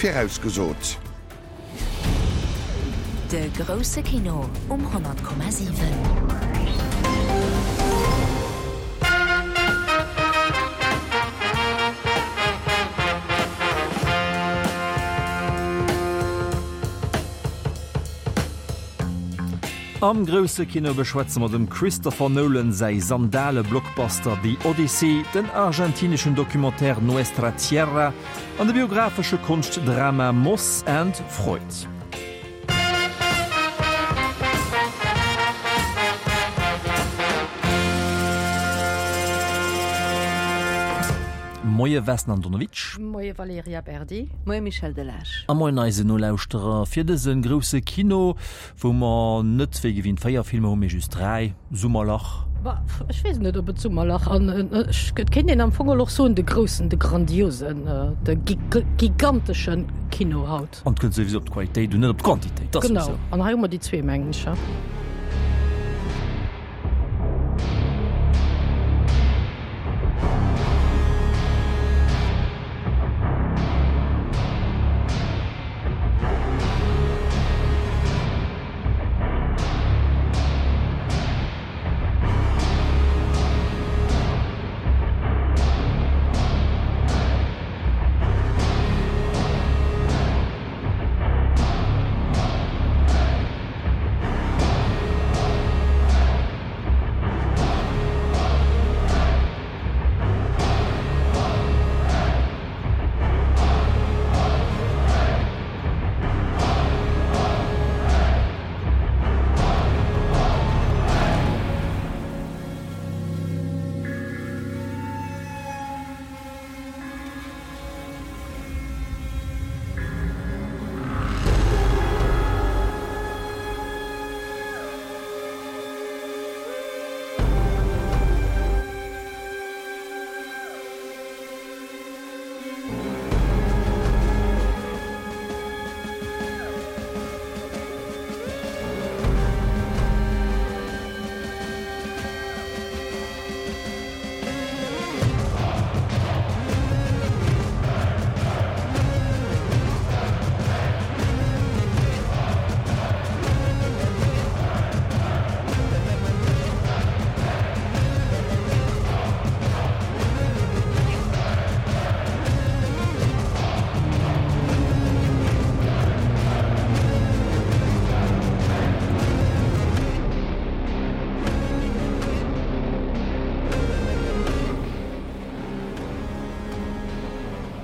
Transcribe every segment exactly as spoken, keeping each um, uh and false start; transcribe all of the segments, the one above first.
virausgesot. De grousse Kino um honnert Komma siwen. Am grousse Kino beschwätze mer dem Christopher Nolan säi Sandale-Blockbuster The Odyssey, den argentineschen Documentaire Nuestra Tierra an de biographesche Konschtdrama Moss and Freud. Moie Vesna Andonovic. Moie Valerija Berdi. Moie Michel Delage. A moien eisen Nolauschterer fir dëse grousse Kino, wou mer net wéi gewinnt véier Filmer hunn, mee just dräi. Summerlach. Bah, ech weess net, ob et Summerlach an ech, et kéint een am Fong och soen, de groussen, de grandiosen, de gigantesche Kino haut. An et kënnt souwisou op d'Qualitéit un, net op d'Quantitéit, dat ass Genau, souwisou. an hei hu mer déi zwee, mengen ech.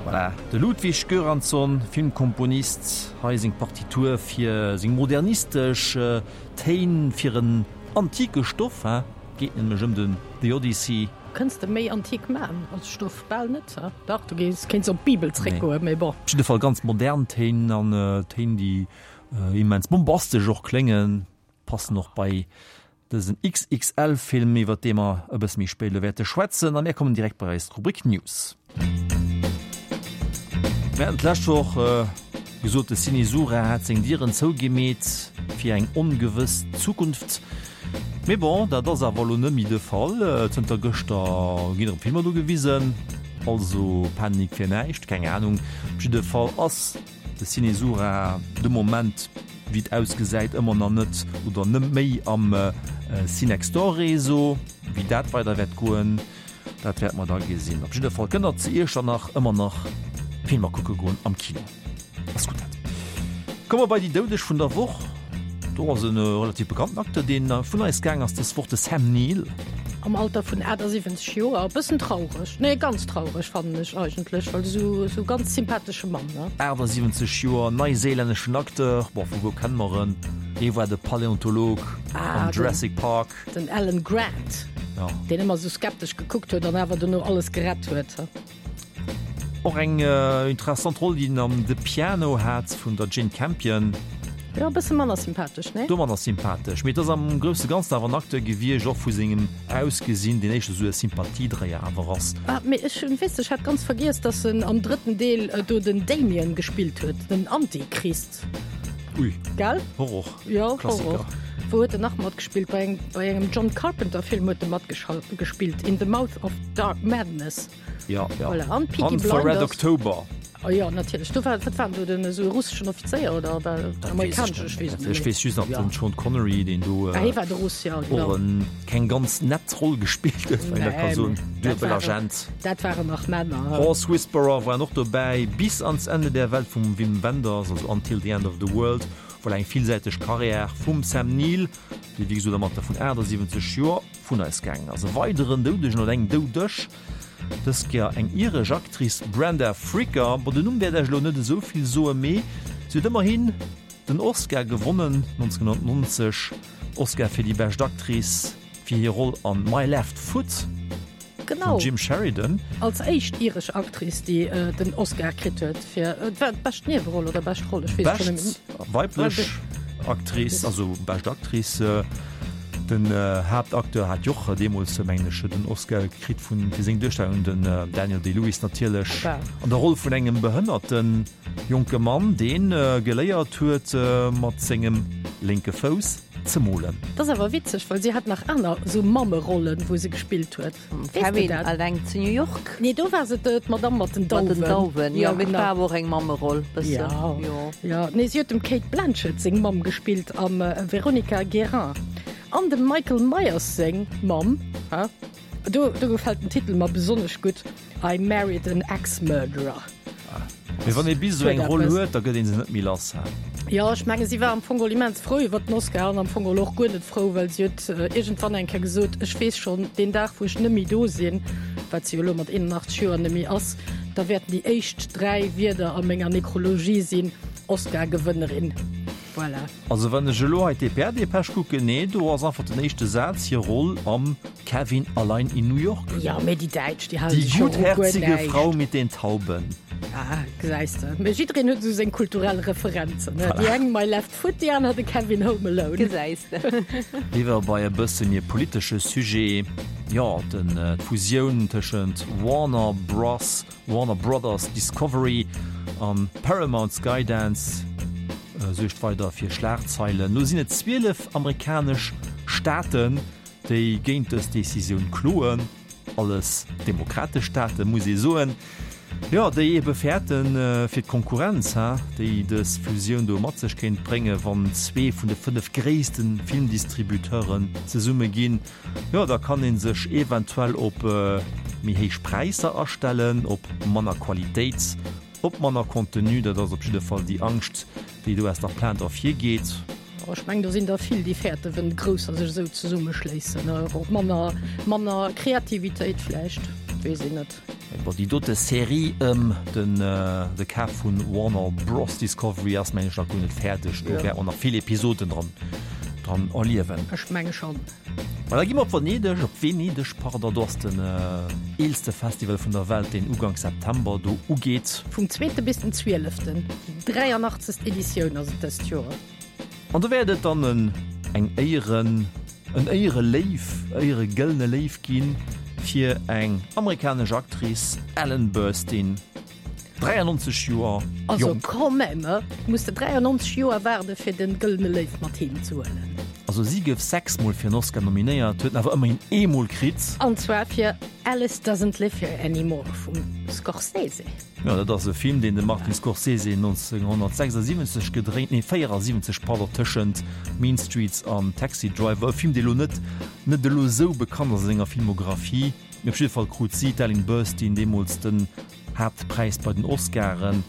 Voilà, de Ludwig Göransson, Filmkomponist, hei seng Partitur fir seng modernistesch Téin fir en antike Stoff, hein, geet nämlech ëm den The Odyssey. Kënns de méi antik man als Stoff? Bal net, hein? Dach, du gees, kéints op d'Bibel zréckgoen, mee bon. Op jidde Fall ganz modern Téin an Téin, déi immens bombastesch och kléngen, passen och bei dësen X X L-Film, iwwer dee mer e bësse méi spéit elo wäerte schwätzen. A mir kommen direkt bei eis Rubrik News. Mir haten d'lescht Woch gesot, de Ciné Sura hätt seng Dieren zougemeet fir eng ongewëss Zukunft. Mee bon, dat ass awer elo net méi de Fall. Zënter gëschter ginn erëm Filmer do gewisen. Also Panik fir näischt, keng Anung. Op jidde Fall ass de Ciné Sura de Moment, wéi et ausgesäit, ëmmer nach net oder net méi am Cinextore-Réseau. Wéi dat weider wäert goen, dat wäerte mer da gesinn. Op jidde Fall kënnt der zu Iechternach ëmmer nach Filmer kucke goen am Kino. Ass gutt dat. Komme mer bei déi Doudeg vun der Woch. Do ass e relativ bekannten Acteur, deen vun eis gaang ass dës Woch, de Sam Neill. Am Alter vun achtasiwwenzeg Joer. E bëssen traureg, nee ganz traureg fannen ech eigentlech, well esou esou ganz sympathesche Mann, ne? Achtasiwwenzeg Joer, neiséilänneschen Acteur, bon vu wou kenne mer en? Dee war de Paläontolog am Jurassic Park. Den Alan Grant, deen ëmmer esou skeptesch gekuckt huet an awer dono alles gerett huet. Och eng interessant Roll, déi en am The Piano hat vun der Jane Campion. Jo, e bësse manner sympathesch, nee? Do manner sympathesch, mee et ass am grousse Ganzen awer en Acteur gewiescht, och vu sengem Ausgesinn, deen éischter esou e Sympathiedréier awer ass. Ah, mee ech hunn, weess de, ech hat ganz vergiess, dass en am drëtten Deel do den Damien gespillt huet, den Antichrist. Ui. Gell? Horror. Jo, Klassiker. Horror. Wou huet en nach matgespillt? Bei engem, bei engem John Carpenter Film huet e matgespillt, In the Mouth of Dark Madness. Ja, ja. Voilà. An Peaky An For Red Blinders. October. Oh jo, natierlech. Do war, wat war do den esou e russeschen Offizéier oder war amerikanesch? Ech weess et net méi. Ech weess just nach den Sean Connery, deen do ah, hie war de Russ, ja, genau. och en keng ganz nett Roll gespillt huet, wann een dat ka soen. Nee, dat waren, dat waren nach Männer. Horse Whisperer waren och dobäi, Bis ans Ende der Welt vum Wim Wenders, also Until the End of the World. Voilà, eng villsäiteg Karriär vum Sam Neill, dee wéi gesot am Alter vun achtasiwwenzeg Joer vun eis gaangen ass. E weideren Doudegen oder eng Doudeg, dës Kéier eng iresch Actrice, Brenda Fricker. Bon, den Numm wäert Iech elo net esou vill soen, mee si huet ëmmerhin den Oscar gewonnen, nonzénhunnertnonzeg, Oscar fir déi bescht Actrice fir hir Roll an My Left Foot. Genau. Vum Jim Sheridan. Als éischt iresch Actrice, déi den Oscar kritt huet fir, et war d'bescht Nieweroll oder bescht Roll, ech weess et schonn net méi. Bescht weiblech Actrice, also bescht Actrice. Den Haaptacteur hat jo och deemools, mengen ech, den Oscar kritt vun, fir seng Duerstellung, den Daniel Day-Lewis natierlech, an der Roll vun engem behënnerte jonke Mann, dee geléiert huet, mat sengem lénke Fouss ze molen. Dat ass awer witzeg, well si hat nach aner esou Mammerollen, wou se gespillt huet. Weess de Kevin dat? alleng zu New York. Nee, do war se d'Madame mat den Mat den Dauwen. Dauwen, jo, Ja, mee et genau. war awer och eng Mammeroll, bëssen, Ja, jo. ja. Nee, si huet dem Cate Blanchett seng Mamm gespillt am Veronica Guerin. An dem Michael Myers seng Mamm, ha? Do, do gefält den Titel mer besonnesch gutt, I Married an Axe Murderer. Mee wann ee bis esou eng Huet Roll eppes. huet, da gëtt ee se net méi lass, ha? Jo, ech menge si war am Fong geholl immens frou iwwer den Oscar an am Fong geholl och guer net frou, well si huet iergendwann eng Kéier gesot, ech weess schonn, deen Dag wou ech net méi do sinn, wat si jo elo mat eenenachtzeg Joer net méi ass, da wäerten déi éischt dräi Wierder a menger Nekrologie sinn, Oscar-Gewënnerin. Voilà. Also wann ech elo hei d'D P R-Depêche kucken, nee, do ass einfach den éischte Saz hir Roll am Kevin allein in New York. Jo, mee déi Däitsch, déi hale Die sech jo u guer gutherzige näischt. Frau mit den Tauben. Ah, gesäis de. Mee jiddereen huet esou seng kulturell Referenzen, ne? Déi eng My Left Foot, déi aner de Kevin Home Alone. Gesäis de. Iwwer bei e bësse méi politesche Sujet, jo, den d'Fusioun tëschent Warner Bros. Warner Brothers Discovery an Paramount Skydance suergt weider fir Schlagzeilen. Lo sinn et zwielef amerikanesch Staaten, déi géint dës Decisioun kloen. Alles demokratesch Staate muss ee soen. Jo, déi ebe fäerten fir d'Konkurrenz, déi dës Fusioun do mat sech kéint bréngen, wann zwee vun de fënnef gréisste Filmdistributeuren zesumme ginn. Jo, da kann ee sech eventuell op méi héich Präisser astellen, op manner Qualitéit, op manner Contenu. Dat ass op jidde Fall déi Angscht, déi do aus der Plainte ervirgeet. Oh, ech mengen, do sinn der vill, déi fäerten, wenn Grousser sech esou zesummeschléissen. Och manner, manner Kreativitéit vläicht, weess een net. Bon, déi dote Serie ëm den de Kaf vun Warner Bros. Discovery ass, mengen ech, nach guer net fäerdeg. Do wäerte mer nach vill Episoden dran, dran erliewen. Ech menge schonn. Ma da gi mer op Venedeg, op Venedeg, pardon, do ass den eelste Festival vun der Welt, deen Uganks September do ugeet. Vum zweete bis den zwieleften, déi dräianachtzegst Editioun ass et dëst Joer. An do wäert et dann en eng Éieren, en Éiereléiw, Éieregëllene Léiw ginn fir eng amerikanesch Actrice, Ellen Burstyn. dräiannonzeg Joer Also jonk. quand même, muss de dräiannonzeg Joer waarde fir den Gëllene Léiw mat heem ze huelen. Also si gouf sechs Mol fir en Oscar nominéiert, huet en awer ëmmerhin eemol kritt. An zwar fir Alice Doesn't Live Here Anymore vum Scorsese. Jo, dat ass e Film, deen de Martin Scorsese nonzénghonnertsechsasiwwenzeg gedréint, nee véierasiwwenzeg, pardon, tëschent Mean Streets an Taxi Driver. E Film, dee lo net net elo esou bekannt ass a senger Filmographie, mee op jidde Fall krut si, d'Ellen Burstyn, deemools den Haaptpräis bei den Oscaren,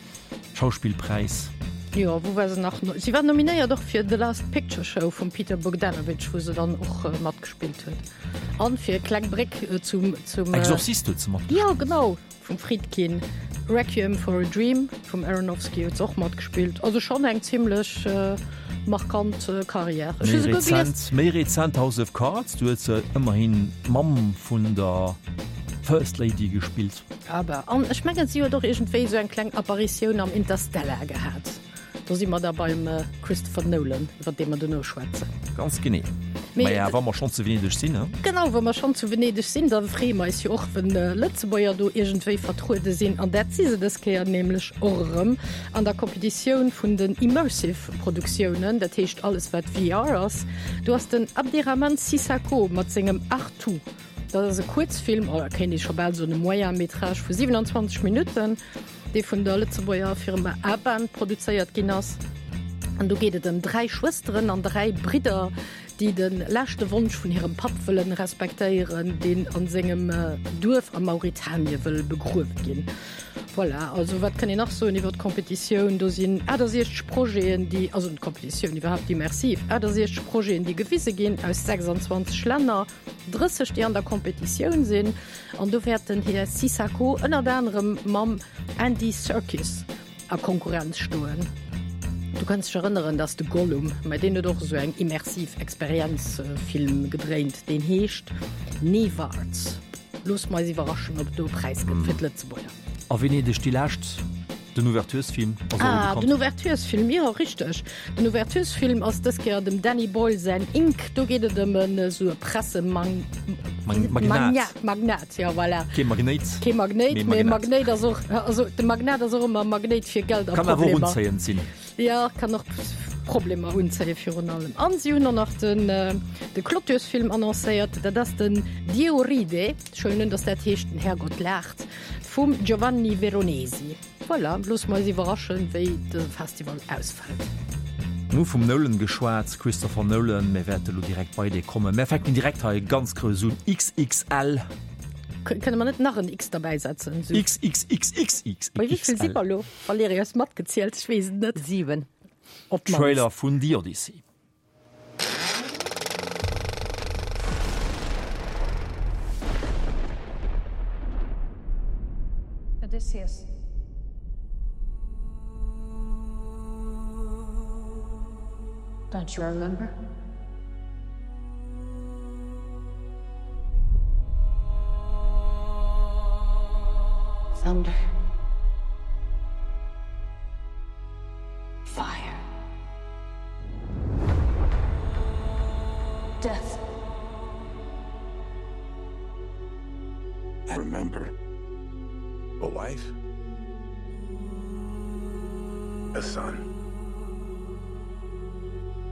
Schauspillpräis. Jo, wou war se nach? Si war nominéiert och fir The Last Picture Show vum Peter Bogdanovich, wou se dann och matgespillt huet. An fir kleng Bréck zum, zum. Exorcist huet se matgespillt. Jo, genau, vum Friedkin. Requiem for a Dream vum Aronofsky huet se och matgespillt. Also schonn eng zimlech markant Karriär. Ech hu Méi souguer gelies. rezent, méi rezent House of Cards, do huet se ëmmerhin d'Mamm vun der First Lady gespillt. Aber, an ech mengen si huet och iergendwéi esou eng kleng Apparitioun am Interstellar gehat. Do si mer da beim Christopher Nolan, iwwer dee mer duerno schwätzen. Ganz genee. Mee Maja, wa mer schonn zu Venedeg sinn, he? Genau, wa mer schonn zu Venedeg sinn, da freeë mer eis jo och, wenn Lëtzebuerger do iergendwéi vertruede sinn. An dat si se dës Kéier nämlech och erëm an der Competitioun vun den Immersive Produktiounen, dat heescht alles wat V R ass. Do ass den Abderrahmane Sissako mat sengem Artu. Dat ass e Kuerzfilm, oder kéint ee scho bal soen e Moyen métrage vu siwenanzwanzeg Minutten. dee vun der Lëtzebuerger Firma Aban produzéiert ginn ass. An do geet et ëm dräi Schwësteren an dräi Bridder, déi de leschte Wonsch vun hirem Papp wëllen respektéieren, deen an sengem Duerf a Mauritanie wëll begruewe ginn. Voilà, also wat kann een nach soen iwwer d'Competitioun? Do sinn achtasiechzeg Projeten, déi, also d'Competitioun iwwerhaapt, d'Immersiv, achtasiechzeg Projeten, déi gewise ginn aus sechsandzwanzeg Länner, drësseg, déi an der Competitioun sinn. An do wäert den Här Sissako ënnert anerem mam Andy Serkis a Konkurrenz stoen. Du kanns dech erënneren, dass de Gollum, mä deen huet och esou eng immersiv Experienz-Film gedréint, deen heescht Newarts. Loosse mer eis iwwerraschen, ob et do e Präis gëtt fir d'Lëtzebuerger. A Venedeg déi lescht, den Ouverturesfilm ass och Ah, bekannt. den Ouverturesfilm, jo, richteg. Den Ouverturesfilm ass dës Kéier dem Danny Boyle säin Ink. Do geet et ëm en esou e Pressemang. Magnat. Magnat, jo, voilà. Kee Magnéit. Kee Magnéit, mee Magnéit ass och, also de Magnat ass och ëmmer Magnéit fir Geld a Kann awer och Problemer. unzéiend sinn. Jo, kann och Problemer unzéie virun allem. An si hunn och nach den de Clôturesfilm annoncéiert, dat ass den Dio ride, ech huelen un, datt dat heescht Den Herrgott laacht, vum Giovanni Veronesi. Voilà, loosse mer eis iwwerraschen, wéi de Festival ausfält. Mir hu vum Nolan geschwat, Christopher Nolan. Mir wäerte lo direkt bei dee kommen. Mir fänken direkt hei ganz grouss un, XXL. Kënne mer net nach en X derbäisetzen? XXXXXXL. Bei wéi vill si mer lo? Valerija, hues matgezielt? Ech weess et net. Siwen. Op d'mannst. Trailer vun The Odyssey. Odysseus. Don't you remember? Thunder. Fire. Death. I remember a wife, a son,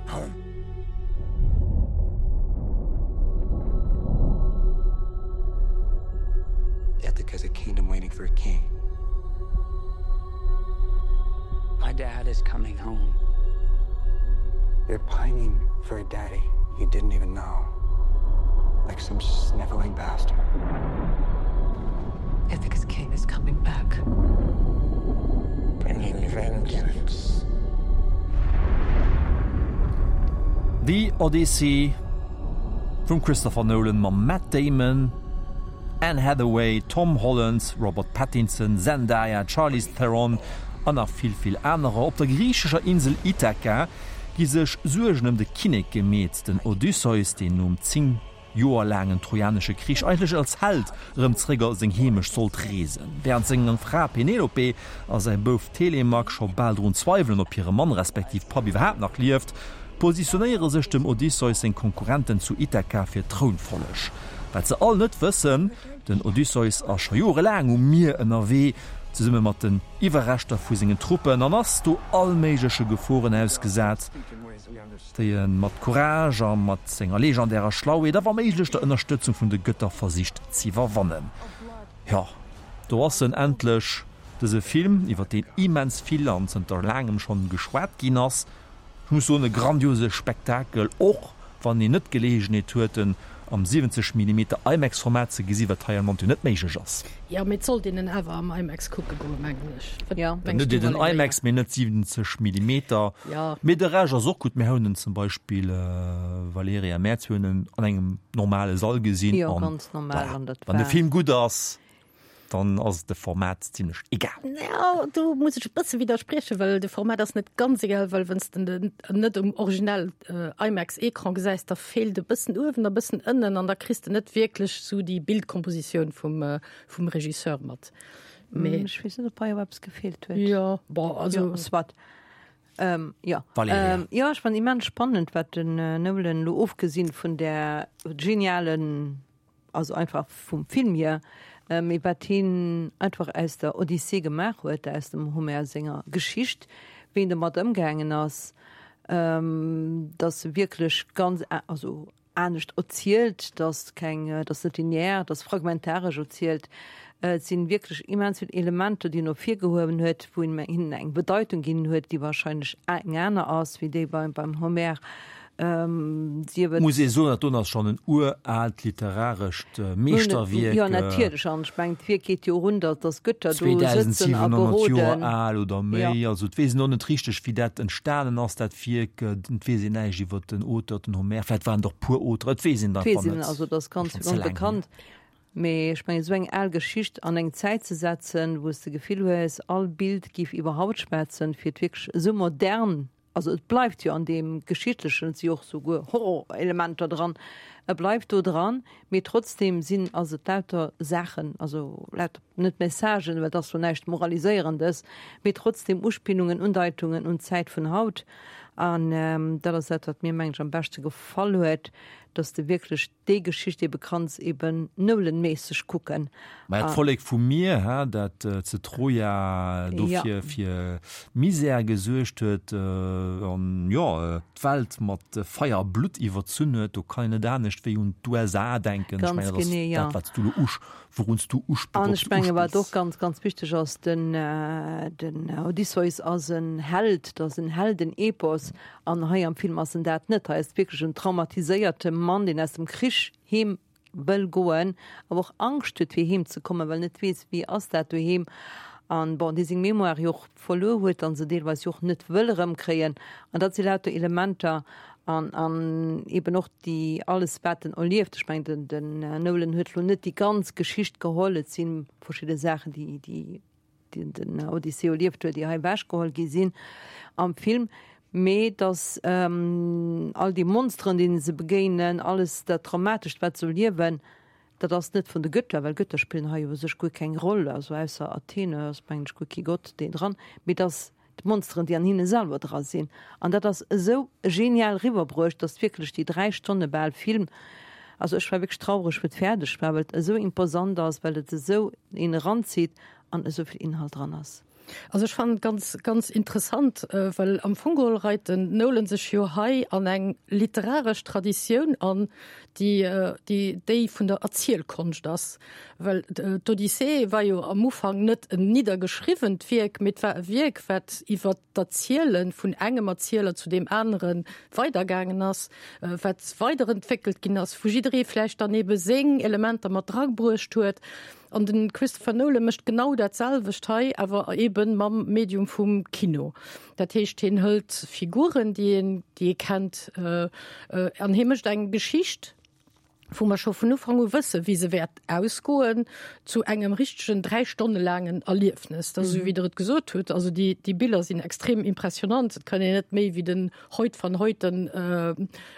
home. Ithaca's a kingdom waiting for a king. My dad is coming home. They're pining for a daddy you didn't even know. Like some sniveling bastard. Ithaca's king is coming back. Bringing vengeance. The Odyssey vum Christopher Nolan mam Matt Damon, Anne Hathaway, Tom Holland, Robert Pattinson, Zendaya, Charlize Theron an nach vill, vill anerer. Op der griichescher Insel Ithaka gi sech Suergen ëm de Kinnek gemeet, den Odysseus, deen nom zéng Joer laangen Trojanesche Krich eigentlech als Held erëm zeréck a seng Heemecht sollt reesen. Wärend seng Fra Penelope a säi Bouf Telemak scho bal drun zweiwelen, ob hire Mann respektiv Papp iwwerhaapt nach lieft, positionéiere sech dem Odysseus seng Konkurrenten zu Ithaka fir d'Trounfolleg. Wat se all net wëssen, Den Odysseus ass scho jorelaang um Mier ënnerwee, zesumme mat den Iwwerreschter vu sengen Truppen, an ass do all méigleche Geforen ausgesat, déi e mat Courage a mat senger legendärer Schlauheet a wa méiglech der Ënnerstëtzung vun de Gëtter versicht z'iwwerwannen. Jo, do ass en endlech, dëse Film, iwwer deen immens vill an zënter laangem schonn geschwat ginn ass. Ech muss soen, e grandiose Spektakel, och wann een net d'Geleegenheet huet, en am siwwenzeg Millimeter IMAX-Format ze gesi, wat hei am Land jo net méiglech ass. Jo, mee et sollt een en awer am IMAX kucke goen, mengen ech. Wat Jo. Dann mengs hutt du, Dir den Valerija? IMAX, mee net siwwenzeg Millimeter. Jo. Mee de Rescht ass och gutt. Mir hunn en zum Beispill, Valerija, mär zwee hunn en an engem normale Sall gesinn. Jo, An ganz normal, voilà, an dat wann de war. Film gutt ass, dann ass de Format zimlech egal. Ja, do muss ech e bësse widderspriechen, well de Format ass net ganz egal, well wann s de den net um originell IMAX-Ecran gesäis, da feelt e bëssen uewen a bëssen ënnen an da kriss de net wierklech sou déi Bildkompositioun vum, vum Regisseur mat. Mee ech weess net, ob hei awer eppes gefeelt huet. Jo, bon, also. Jo, soit. Ähm, jo. Valerija. Ähm, jo, ech fannen immens spannend, wat den Nolan elo, ofgesinn vun där genialen, also einfach vum Film hier, mee wat hien einfach aus der Odyssee gemaach huet, aus dem Homer senger Geschicht, wéi en domat ëmgaangen ass, dass e wierklech ganz, also anescht erzielt, et ass keng, et ass net linear, et ass fragmentaresch erzielt. Et sinn wierklech immens vill Elementer, déi en ervirgehuewen huet, wou en hinnen eng Bedeitung ginn huet, déi wahrscheinlech eng aner ass wéi déi beim, beim Homer. Sief et. Muss ee soen, dat doen ass schonn en uraalt literarescht Meeschterwierk. Jo, natierlech. An ech mengen, d'Wierk geet jo och un, datt datt d'Gëtter do sëtzen a zweedausendsiwenhonnert beroden. Joer al oder Jo. méi. Also et weess een och net richteg, wéi dat entstanen ass, dat Wierk. Et weess een näischt iwwer den Auteur, den Homer. Vläicht waren et och puer Auteuren, et weess een Et et weess einfach een, net. also et ass Ass ganz schonn ze laang hier. onbekannt. Mee ech mengen, esou eng al Geschicht an eng Zäit ze setzen, wou s de d'Gefill hues, all Bild géif iwwerhaupt schwätzen, fir et wierklech esou modern, also et bleift jo an deem Geschichtlechen, et si jo och souguer Horrorelementer dran, e bleift do dran, mee trotzdem sinn, ass et lauter Saachen, also lauter, net Messagen, well et ass jo näischt Moraliséierendes, mee trotzdem Uspillungen, Undeitungen un d'Zäit vun haut. An dat ass dat, wat mir, mengen ech, am beschte gefall huet, dass de wierklech déi Geschicht ebe kanns eben Nolan-méisseg kucken. Mä d'Vollek vum Mier, hä, dat zu Troja dofir fir Misär gesuergt huet an, jo, d'Welt mat Feier a Blutt iwwerzunn huet, do kann een net anescht wéi un d'U S A denken. Ech Ganz mengen, dat ass genee, jo. dat, wat s du elo usch, wourun s du uspills, An wourop s ech du menge wat och uspills. ganz, ganz wichteg ass, den, den Odysseus ass en Held, dat ass en Heldenepos an hei am Film ass en dat net. Hei ass et wierklech en traumatiséierte Mann, deen aus dem Krich heem wëll goen, awer och Angscht huet fir heem ze kommen, well en net weess, wéi ass dat doheem. An bon, dee seng Mémoire jo och verluer huet an se deelweis jo och net wëll erëmkréien. An dat si lauter Elementer an, an eben och déi, alles wat en erlieft. Ech mengen, den, den Nolan huet lo net déi ganz Geschicht geholl, et si verschidde Saachen, déi, déi den, den Odyssee erlieft huet, déi hei ewechgeholl gi sinn am Film. Mee dass all déi Monsteren, deene se begéinen, alles dat Traumatescht, wat se erliewen, dat ass net vun de Gëtter, well Gëtter spillen hei u sech guer keng Roll, also ausser Athene ass, mengen ech, guer kee Gott deen dran, mee et ass d'Monsteren, déi an hinne selwer dra sinn. An dat ass esou genial riwwerbruecht, dass wierklech déi dräi Stonne bal Film, also ech war wierklech traureg, wou et fäerdeg war, well et esou imposant ass, well et esou een eranzitt an esou vill Inhalt dran ass. Also ech fannen et ganz, ganz interessant, well am Fong geholl reit den Nolan sech jo hei an eng literaresch Traditioun an, déi, déi déi vun der Erzielkonscht ass. Well d'Odyssee war jo am Ufank net en niddergeschriwwent Wierk, mee et war e Wierk, wat iwwer d'Erziele vun engem Erzieler zu deem anere weidergaangen ass, wat weiderentwéckelt ginn ass, wou jidderee vläicht dann ebe seng Elementer mat drabruecht huet. An den Christopher Nolan mécht genau dat selwecht hei, awer eben mam Medium vum Kino. Dat heescht, hien hëlt Figuren, déi een, déi ee kennt, an hie mécht eng Geschicht, wou mer scho vun Ufank u wësse wéi se wäert ausgoen, zu engem richtegen dräi Stonne laangen Erliefnes. Dat ass esou wéi Der et gesot hutt, also déi, déi Biller sinn extrem impressionant, et kann een net méi wéi den Hoyt van Hoyten,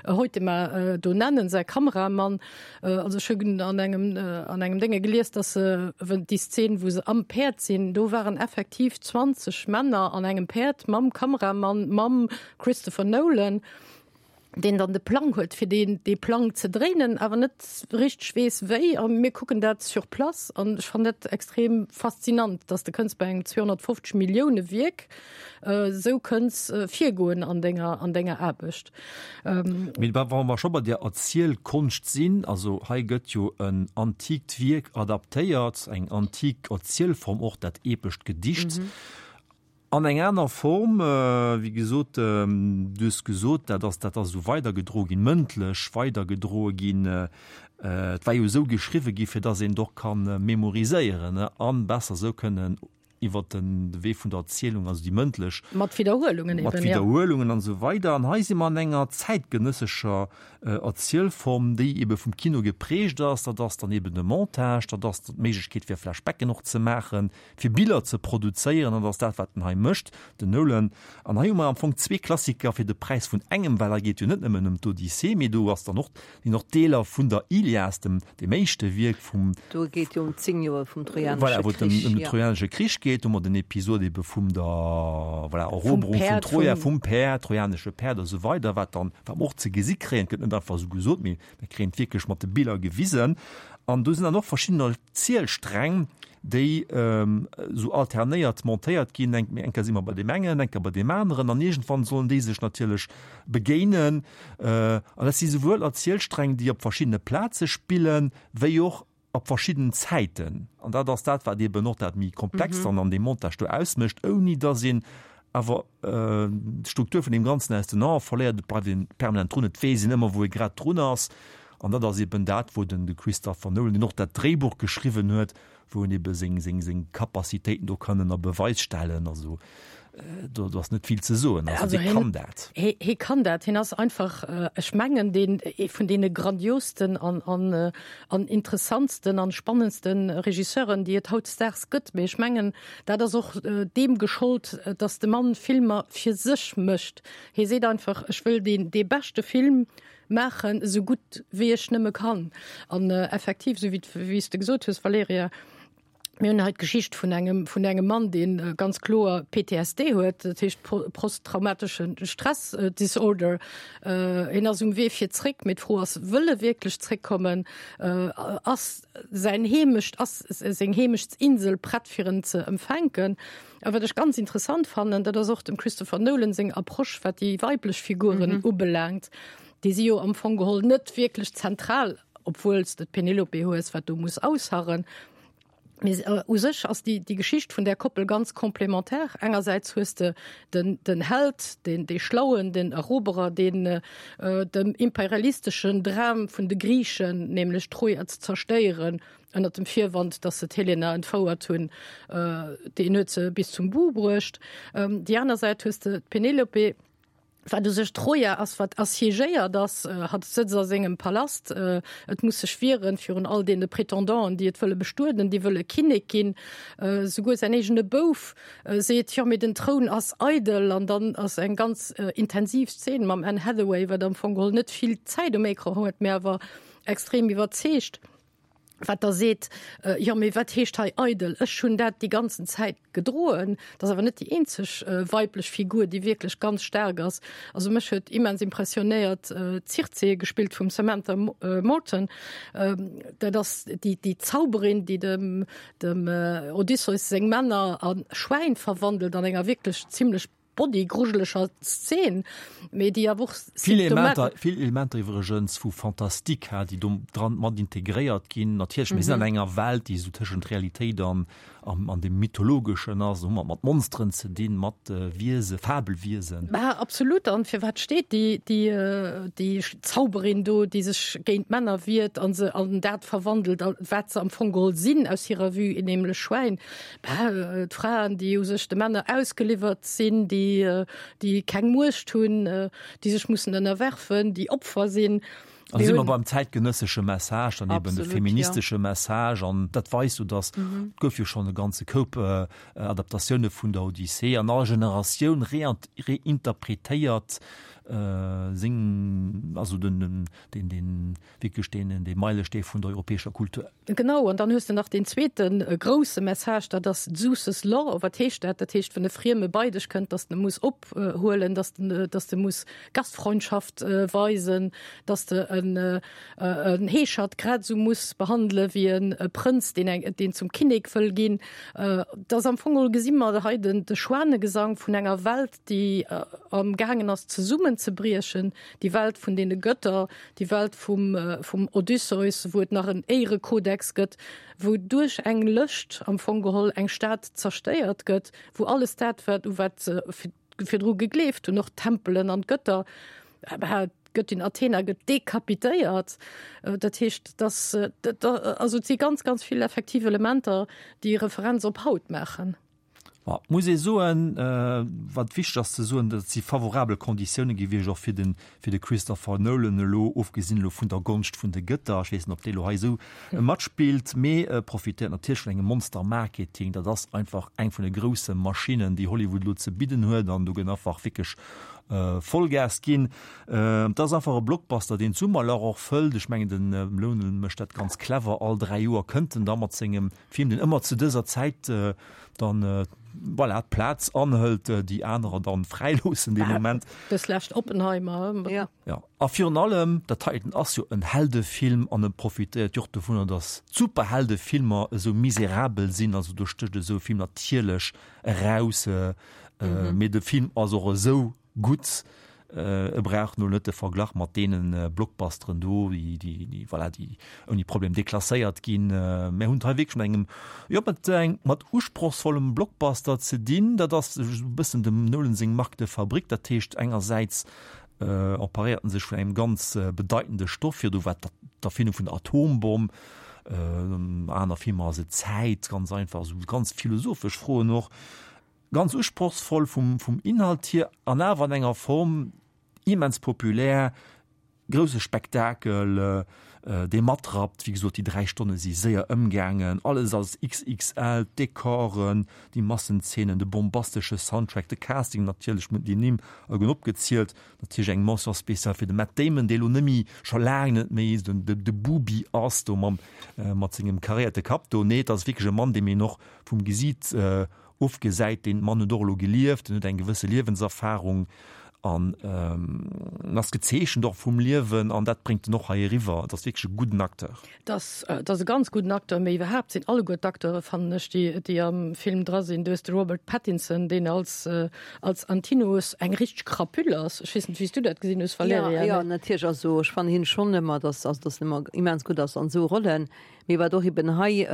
Hoytema do nennen, säi Kameramann. Also ech hunn an engem, an engem Dénge gelies, dass se, déi Szen, wou se am Päerd sinn, do waren effektiv zwanzeg Männer an engem Päerd mam Kameramann, mam Christopher Nolan, deen dann de Plang huet, fir deen, dee Plang ze dréinen, awer net richteg weess wéi. A mir kucken dat sur place an ech fannen dat extrem faszinant, dass de kënns bei engem zweehonnertfofzeg Millioune Wierk esou kënns virgoen an denger, an denger Aarbecht. Mee wa mer scho bei der Erzielkonscht sinn, also hei gëtt jo en antikt Wierk adaptéiert, eng antik Erzielform och, dat epescht Gedicht. An eng aner Form, wéi gesot, du hues gesot, dat ass, dat ass esou weidergedroe ginn, mëndlech weidergedroe ginn. Et war jo esou geschriwwe gi fir datt een et och ka memoriséieren an besser esou kënnen iwwert den Wee vun der Erzielung, also déi mëndlech, Mat Widderhuelungen mat eben, ja. Widderhuelungen an esou weider. An hei si mer an enger zäitgenëssescher Erzielform, déi ebe vum Kino geprägt ass. Dat ass dann eben de Montage, dat ass d'Méiglechkeet fir Flashbacken och ze maachen, fir Biller ze produzéieren, an dat ass dat, wat en hei mécht, den Nolan. An hei hu mer am Fong zwee Klassiker fir de Präis vun engem, well hei geet jo net nëmmen ëm d'Odyssee, mee do ass dann och, sinn och Deeler vun der Ilias, dem, dem éischte Wierk vum, Do geet jo ëm zéng Joer vum voilà, Trojanesche wou et ëm, Krich, ëm den jo. Trojanesche Krich geet. zréckgeet. Do hu mer den Episod ebe vum der, voilà, Eroberung vun Troja, vum Päerd, trojanesche Päerd a sou weider, wat dann, wat mer och ze gesi kréien. Et gëtt net einfach esou gesot, mee mer kréien et wierklech mat de Biller gewisen. An do sinn dann och verschidden Erzielsträng, déi esou alternéiert montéiert ginn. Eng eng Kéier si mer bei deem engen, eng Kéier bei deem aneren an iergendwann sollen déi sech natierlech begéinen. An dat si souwuel Erzielsträng, déi op verschiddene Plaze spillen, wéi och op verschidden Zäiten. An dat ass dat, wat eeben och dat méi Komplext dann an deem Montage do ausmécht, ouni datt een awer d'Struktur vun deem Ganzen aus den Ae verléiert. Et bleift een permanent drun, et weess een ëmmer, wou ee grad drun ass. An dat ass eben dat, wou den de Christopher Nolan, deen och dat Dréibuch geschriwwen huet, wou en ebe seng, seng, seng Capacitéiten do kann ënner Beweis stellen. Also do, do ass net vill ze soen. Also, also hie kann dat. Hie, hie kann dat. Hien ass einfach, ech mengen, deen, ee vun deene grandiosten an, an, an interessantsten an spannendsten Regisseuren, déi et hautdesdaags gëtt. Mee ech mengen, dat ass och deem geschollt, datt de Mann Filmer fir sech mécht. Hie seet einfach, ech wëll deen, dee beschte Film maachen, esou gutt wéi ech nëmme kann. An effektiv, esou wéi, wéi s de gesot hues, Valerija, mir hunn hei d'Geschicht vun engem, vun engem Mann, dee ganz kloer P T S D huet, dat heescht posttraumatesche Stress Disorder. Hien ass um Wee fir zréck, mee d'Fro ass, wëll e wierklech zréckkommen? Ass säin Heemecht, ass seng Heemechtsinsel prett fir en ze empfänken? A wat ech ganz interessant fannen, dat ass och dem Christopher Nolan seng Approche, wat déi weiblech Figuren ubelaangt. Déi si jo am Fong geholl net wierklech zentral, obwuel s de d'Penelope hues, wat do muss ausharren. Mee u sech ass déi, déi Geschicht vun där Koppel ganz complémentaire. Engersäits hues de den, den Held, deen, dee Schlauen, den Eroberer, deen dem imperialisteschen Dram vun de Griichen, nämlech Troja ze zerstéieren, ënnert dem Virwand, datt se d'Helena entfouert hunn, deen huet se bis zum But bruecht. Déi aner Säit hues de d'Penelope, wat u sech Troja ass, wat assiégéiert ass, hatt sëtzt a sengem Palast, et muss sech wieren virun all deene Prétendant'en, déi et wëlle bestueden, déi wëlle Kinnek ginn. Souguer säin eegene Bouf seet, jo, mee den Troun ass eidel. An dann ass eng ganz intensiv Szen mam Anne Hathaway, wat am Fong geholl net vill Zäit um Ecran huet, mee awer extrem iwwerzeegt, wat da seet, jo, mee wat heescht hei eidel? Ech hunn dat déi ganzen Zäit gedroen. Dat ass awer net déi eenzeg weiblech Figur, déi wierklech ganz staark ass. Also mech huet immens impressionéiert d'Circe, gespillt vum Samantha Morton. Dat ass déi, déi Zauberin, déi dem, dem Odysseus seng Männer a Schwäin verwandelt an enger wierklech zimlech bodygruscheleger Szen, mee déi awer och Vill Elementer, vill Elementer iwwregens vu Fantastique, ha, déi do dran mat integréiert ginn. Natierlech, mir sinn an enger Welt, déi esou tëschent Realitéit an, an, an dem Mythologeschen ass. Do hu mer et mat Monsteren ze dinn, mat Wiese, Fabelwiesen. Bah, absolut. An firwat steet déi, déi, déi Zauberin do, déi sech géint d'Männer wiert an se an dat verwandelt, wat se am Fong geholl sinn aus hirer Vue, nämlech Schwäin? Bah, d'Fraen, déi u sech de Männer ausgeliwwert sinn, déi, déi keng Muecht hunn, déi sech mussen ënnerwerfen, déi Opfer sinn. An da si mer beim zäitgenëssesche Message, dann eben de feministesche Message. An dat weist jo, dass, et gouf jo schonn e ganze Koup Adaptatioune vun der Odyssee, an all Generatioun reinterpretéiert seng, also den, den, den, wierklech deen, dee Meilestee vun der europäescher Kultur. Genau, an dann hues de nach deen zweete grousse Message, dat ass Zeus's Law. Wat heescht dat? Dat heescht, wann e Frieme bei dech kënnt, dass de e muss ophuelen, dass de, dass de muss Gastfreundschaft weisen, dass de en, en Heeschert grad esou muss behandele wéi e Prënz, deen eng, deen zum Kinnek wëll ginn. Dat ass am Fong geholl, gesi mer hei den, de Schwanegesang vun enger Welt, déi am gaangen ass zesummenzebriechen, déi Welt vun deene Götter, déi Welt vum, vum Odysseus, wou et nach en Éierekodex gëtt, wou duerch eng Lëscht am Fong geholl eng Stad zerstéiert gëtt, wou alles dat, wat, u wat se virdru gegleeft hunn, och d'Tempelen an d'Götter, d'Göttin Athena gëtt dekapitéiert. Dat heescht, dass, also et si ganz, ganz vill effektiv Elementer, déi Referenz op haut maachen. Ma et muss ee soen, wat wichteg ass ze soen, dat si favorabel Konditioune gewiescht och fir de fir de Christopher Nolan elo, ofgesinn elo vun der Gonscht vun de Gëtter, ech weess net, ob déi elo hei esou matspillt, mee e profitéiert natierlech vun engem Monster-Marketing. Dat ass einfach eng vun de grousse Maschinnen, déi Hollywood elo ze bidden huet an do gëtt einfach wierklech Vollgas ginn. Et ass einfach e Blockbuster, deen d'Summerlach och fëllt. Ech mengen, den Nolan mécht dat ganz clever, all dräi Joer kënnt en da mat sengem Film, deen ëmmer zu dëser Zäit dann, voilà, d'Plaz anhëlt, déi anerer dann fräiloossen dee Moment. Dës lescht Oppenheimer. Ja. Ja. A virun allem, dat heiten ass jo en Heldefilm an e profitéiert jo och dovunner, datt d'Superheldefilmer esou miserabel sinn. Also do stécht esou e Film natierlech eraus. Mee de Film ass och esou gutt, e brauch no net de Verglach mat deene Blockbusteren do, déi, déi, déi, voilà, déi ouni Problem deklasséiert ginn. Mir hunn et hei wierklech mat engem, jo, mat eng, mat usprochsvollem Blockbuster ze dinn. Dat ass e bëssen dem Nolan seng Marque de fabrique. Dat heescht, engersäits emparéiert en sech vun engem ganz bedeitende Stoff, virdu war et d'Erfindung vun der Atombomm, aner Filmer ass et d'Zäit, ganz einfach, esou ganz philosophesch Froen och. Ganz usprochsvoll vum vum Inhalt hier an awer an enger Form immens populär, grousse Spektakel, dee matrappt. Wéi gesot, déi dräi Stonne si séier ëmgaangen, alles ass XXL, d'Dekoren, déi Massenzeenen, de bombastesche Soundtrack, de Casting natierlech, mir hunn déi Nimm allegueren opgezielt, natierlech eng Mention spéciale fir de Matt Damon, dee lo net méi, scho laang net méi den de Bubi ass do mam mat sengem karéierte Kapp do. Nee, et ass wierklech e Mann, deem een och vum Gesiit Ofgesäit, deen Mann huet och elo gelieft, en huet eng gewësse Liewenserfahrung an en ass gezeechent och vum Liewen an dat bréngt en och hei eriwwer. Et ass wierklech e gudden Acteur. Et ass, et ass e ganz gudden Acteur, mee iwwerhaapt sinn alleguer d'Acteure, fannen ech, déi, déi am Film dra sinn. Du hues de Robert Pattinson, deen als, als Antinous eng richteg Crapule ass. Ech weess net, wéi s du dat gesinn hues, Valerija. Jo, jo, natierlech. Also ech fannen hien schonn ëmmer, dass, also dass en ëmmer immens gutt ass an esou Rollen. Mee wat och eben hei,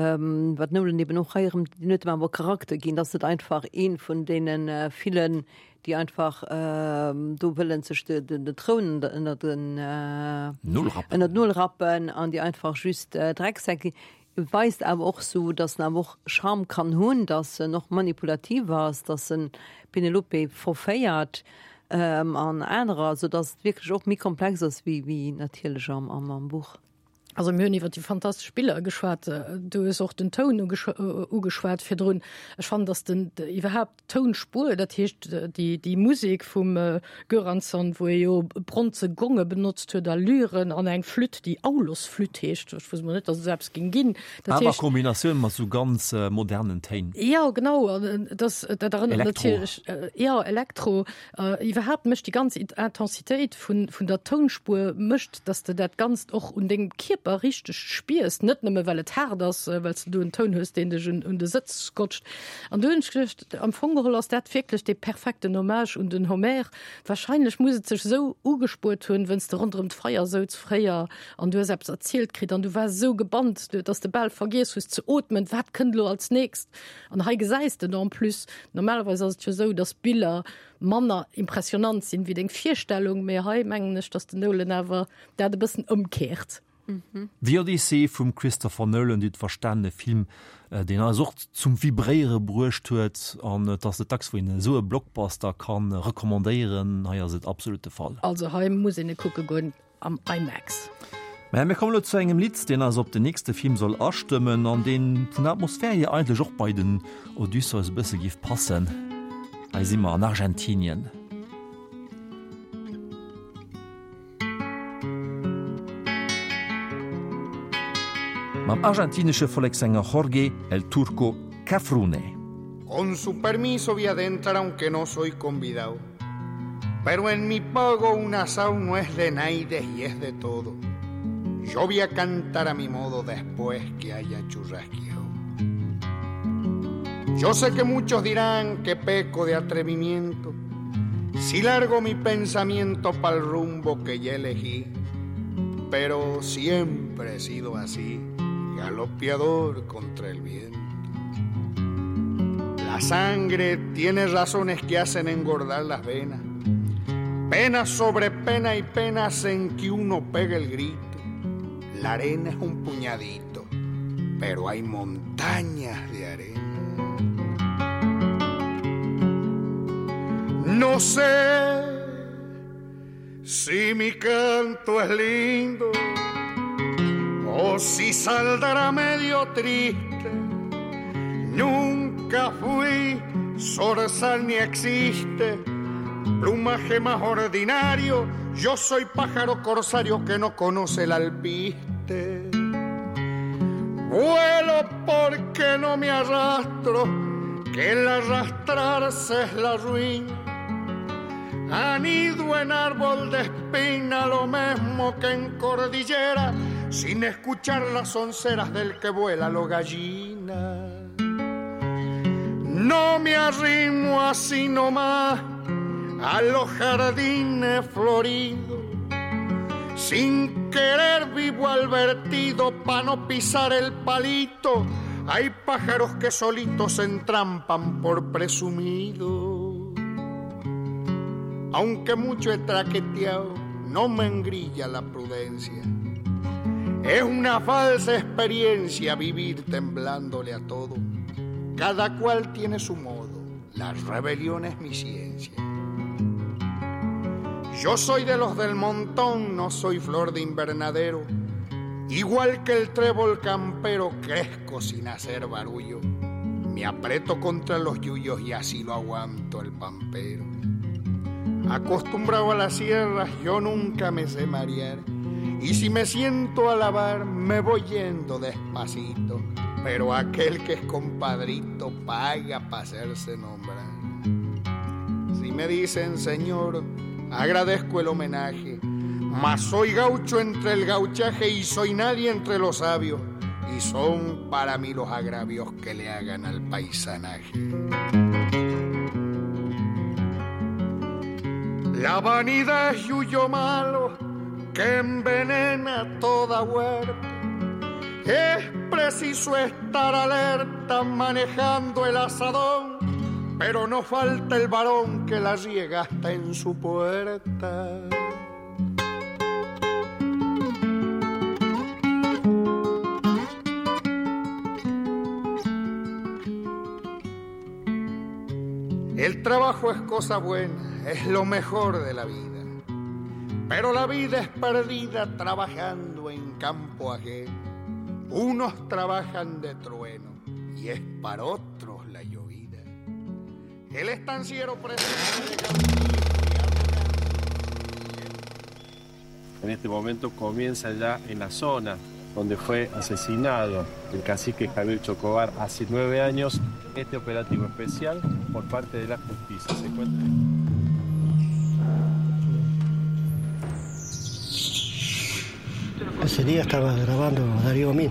wat Nolan eben och hei erëm, deen huet em awer Charakter ginn, dass net einfach ee vun deene villen, déi einfach do wëllen sech de, de, de Troun ënner den, ënner d'Nol rappen an déi einfach just Drecksäck sinn. Weist awer och sou, dass en awer och Charme kann hunn, dass en och manipulativ ass, dass en d'Penelope verféiert an anerer, sou dass et wierklech och méi komplex ass wéi, wéi natierlech am, am Buch. Also mir hunn iwwer déi fantastesch Biller geschwat, du hues och den Toun ugeschwat virdrun. Ech fannen, datt den iwwerhaapt d'Tounspuer, dat heescht déi déi Musek vum Göransson, wou e jo bronze Gonge benotzt huet a Lyren an eng Flütt, déi Aulos-Flütt heescht, ech wousst mol net, datt et esou eppes géing ginn. Dat Awer a Kombinatioun mat esou ganz modernen Téin. Jo, genau, an dat dat erënnert natierlech, jo, Elektro. Iwwerhaapt mécht déi ganz Intensitéit vun vun der Tounspuer mécht, dass de dat Ganzt och un dengem Kierper richteg spiers, net nëmme well et haart ass, well s de do en Toun hues, deen dech un un de Sëtz scotcht. An do hunn ech geduecht, am Fong geholl ass dat wierklech dee perfekten Hommage un den Homer. Wahrscheinlech muss et sech esou ugespuert hunn, wënns de ronderëm d'Feier souz fréier an du hues eppes erzielt kritt an du waars esou gebannt, dass de bal vergiess hues ze ootmen, wat kënnt elo als nächst? An hei gesäis de en plus, normalerweis ass et jo esou, dass Biller manner impressionant sinn wéi deng Virstellung, mee hei mengen ech, dass den Nolan awer dat e bëssen ëmkehrt. The Odyssey vum Christopher Nolan, Dir hutt verstanen, e Film, deen eis och zum Vibréiere bruecht huet an et ass net dacks, wou een esou e Blockbuster ka recommandéieren. Hei ass et absolut de Fall. Also hei muss een e kucke goen. Am IMAX. Mä mir kommen elo zu engem Lidd, deen eis op den nächste Film soll astëmmen an deen vun der Atmosphär hier eigentlech och bei den Odysseus e bësse géif passen. Hei si mer an Argentinien. Mam argentinesche Vollekssänger Jorge El Turco Cafrune. Con su permiso vi adentrar aunque no soy convidao. Pero en mi pago un asao no es de naides y es de todo. Yo vi a cantar a mi modo después que haya churrasqueado. Yo sé que muchos dirán que peco de atrevimiento si largo mi pensamiento pa'l rumbo que ya elegí. Pero siempre he sido así, galopeador contra el viento. La sangre tiene razones que hacen engordar las venas. Pena sobre pena y pena hacen que uno pegue el grito. La arena es un puñadito, pero hay montañas de arena. No sé si mi canto es lindo o si saldrá medio triste. Nunca fui zorzal ni existe Plumaje más ordinario, yo soy pájaro corsario que no conoce el alpiste. Vuelo porque no me arrastro, que el arrastrarse es la ruina. Anido en árbol de espina, lo mismo que en cordillera, sin escuchar las onceras del que vuela lo gallina. No me arrimo así nomás a los jardines floridos. Sin querer vivo al vertido pa' no pisar el palito. Hay pájaros que solitos se entrampan por presumido. Aunque mucho he traqueteado, no me engrilla la prudencia. Es una falsa experiencia vivir temblándole a todo. Cada cual tiene su modo, la rebelión es mi ciencia. Yo soy de los del montón, no soy flor de invernadero. Igual que el trébol campero, crezco sin hacer barullo. Me aprieto contra los yuyos y así lo aguanto el pampero. Acostumbrado a las sierras, yo nunca me sé marear. Y si me siento a lavar, me voy yendo despacito. Pero aquel que es compadrito paga pa' hacerse nombrar. Si me dicen señor, agradezco el homenaje. Mas soy gaucho entre el gauchaje y soy nadie entre los sabios. Y son para mí los agravios que le hagan al paisanaje. La vanidad es yuyo malo que envenena toda huerta. Es preciso estar alerta manejando el asadón, pero no falta el varón que la riega hasta en su puerta. El trabajo es cosa buena, es lo mejor de la vida. Pero la vida es perdida trabajando en campo ajeno. Unos trabajan de trueno y es para otros la llovida. El estanciero presente En este momento comienza ya en la zona donde fue asesinado el cacique Javier Chocobar hace nueve años este operativo especial por parte de la justicia. Se encuentra... Ese día estaba grabando Darío Amin.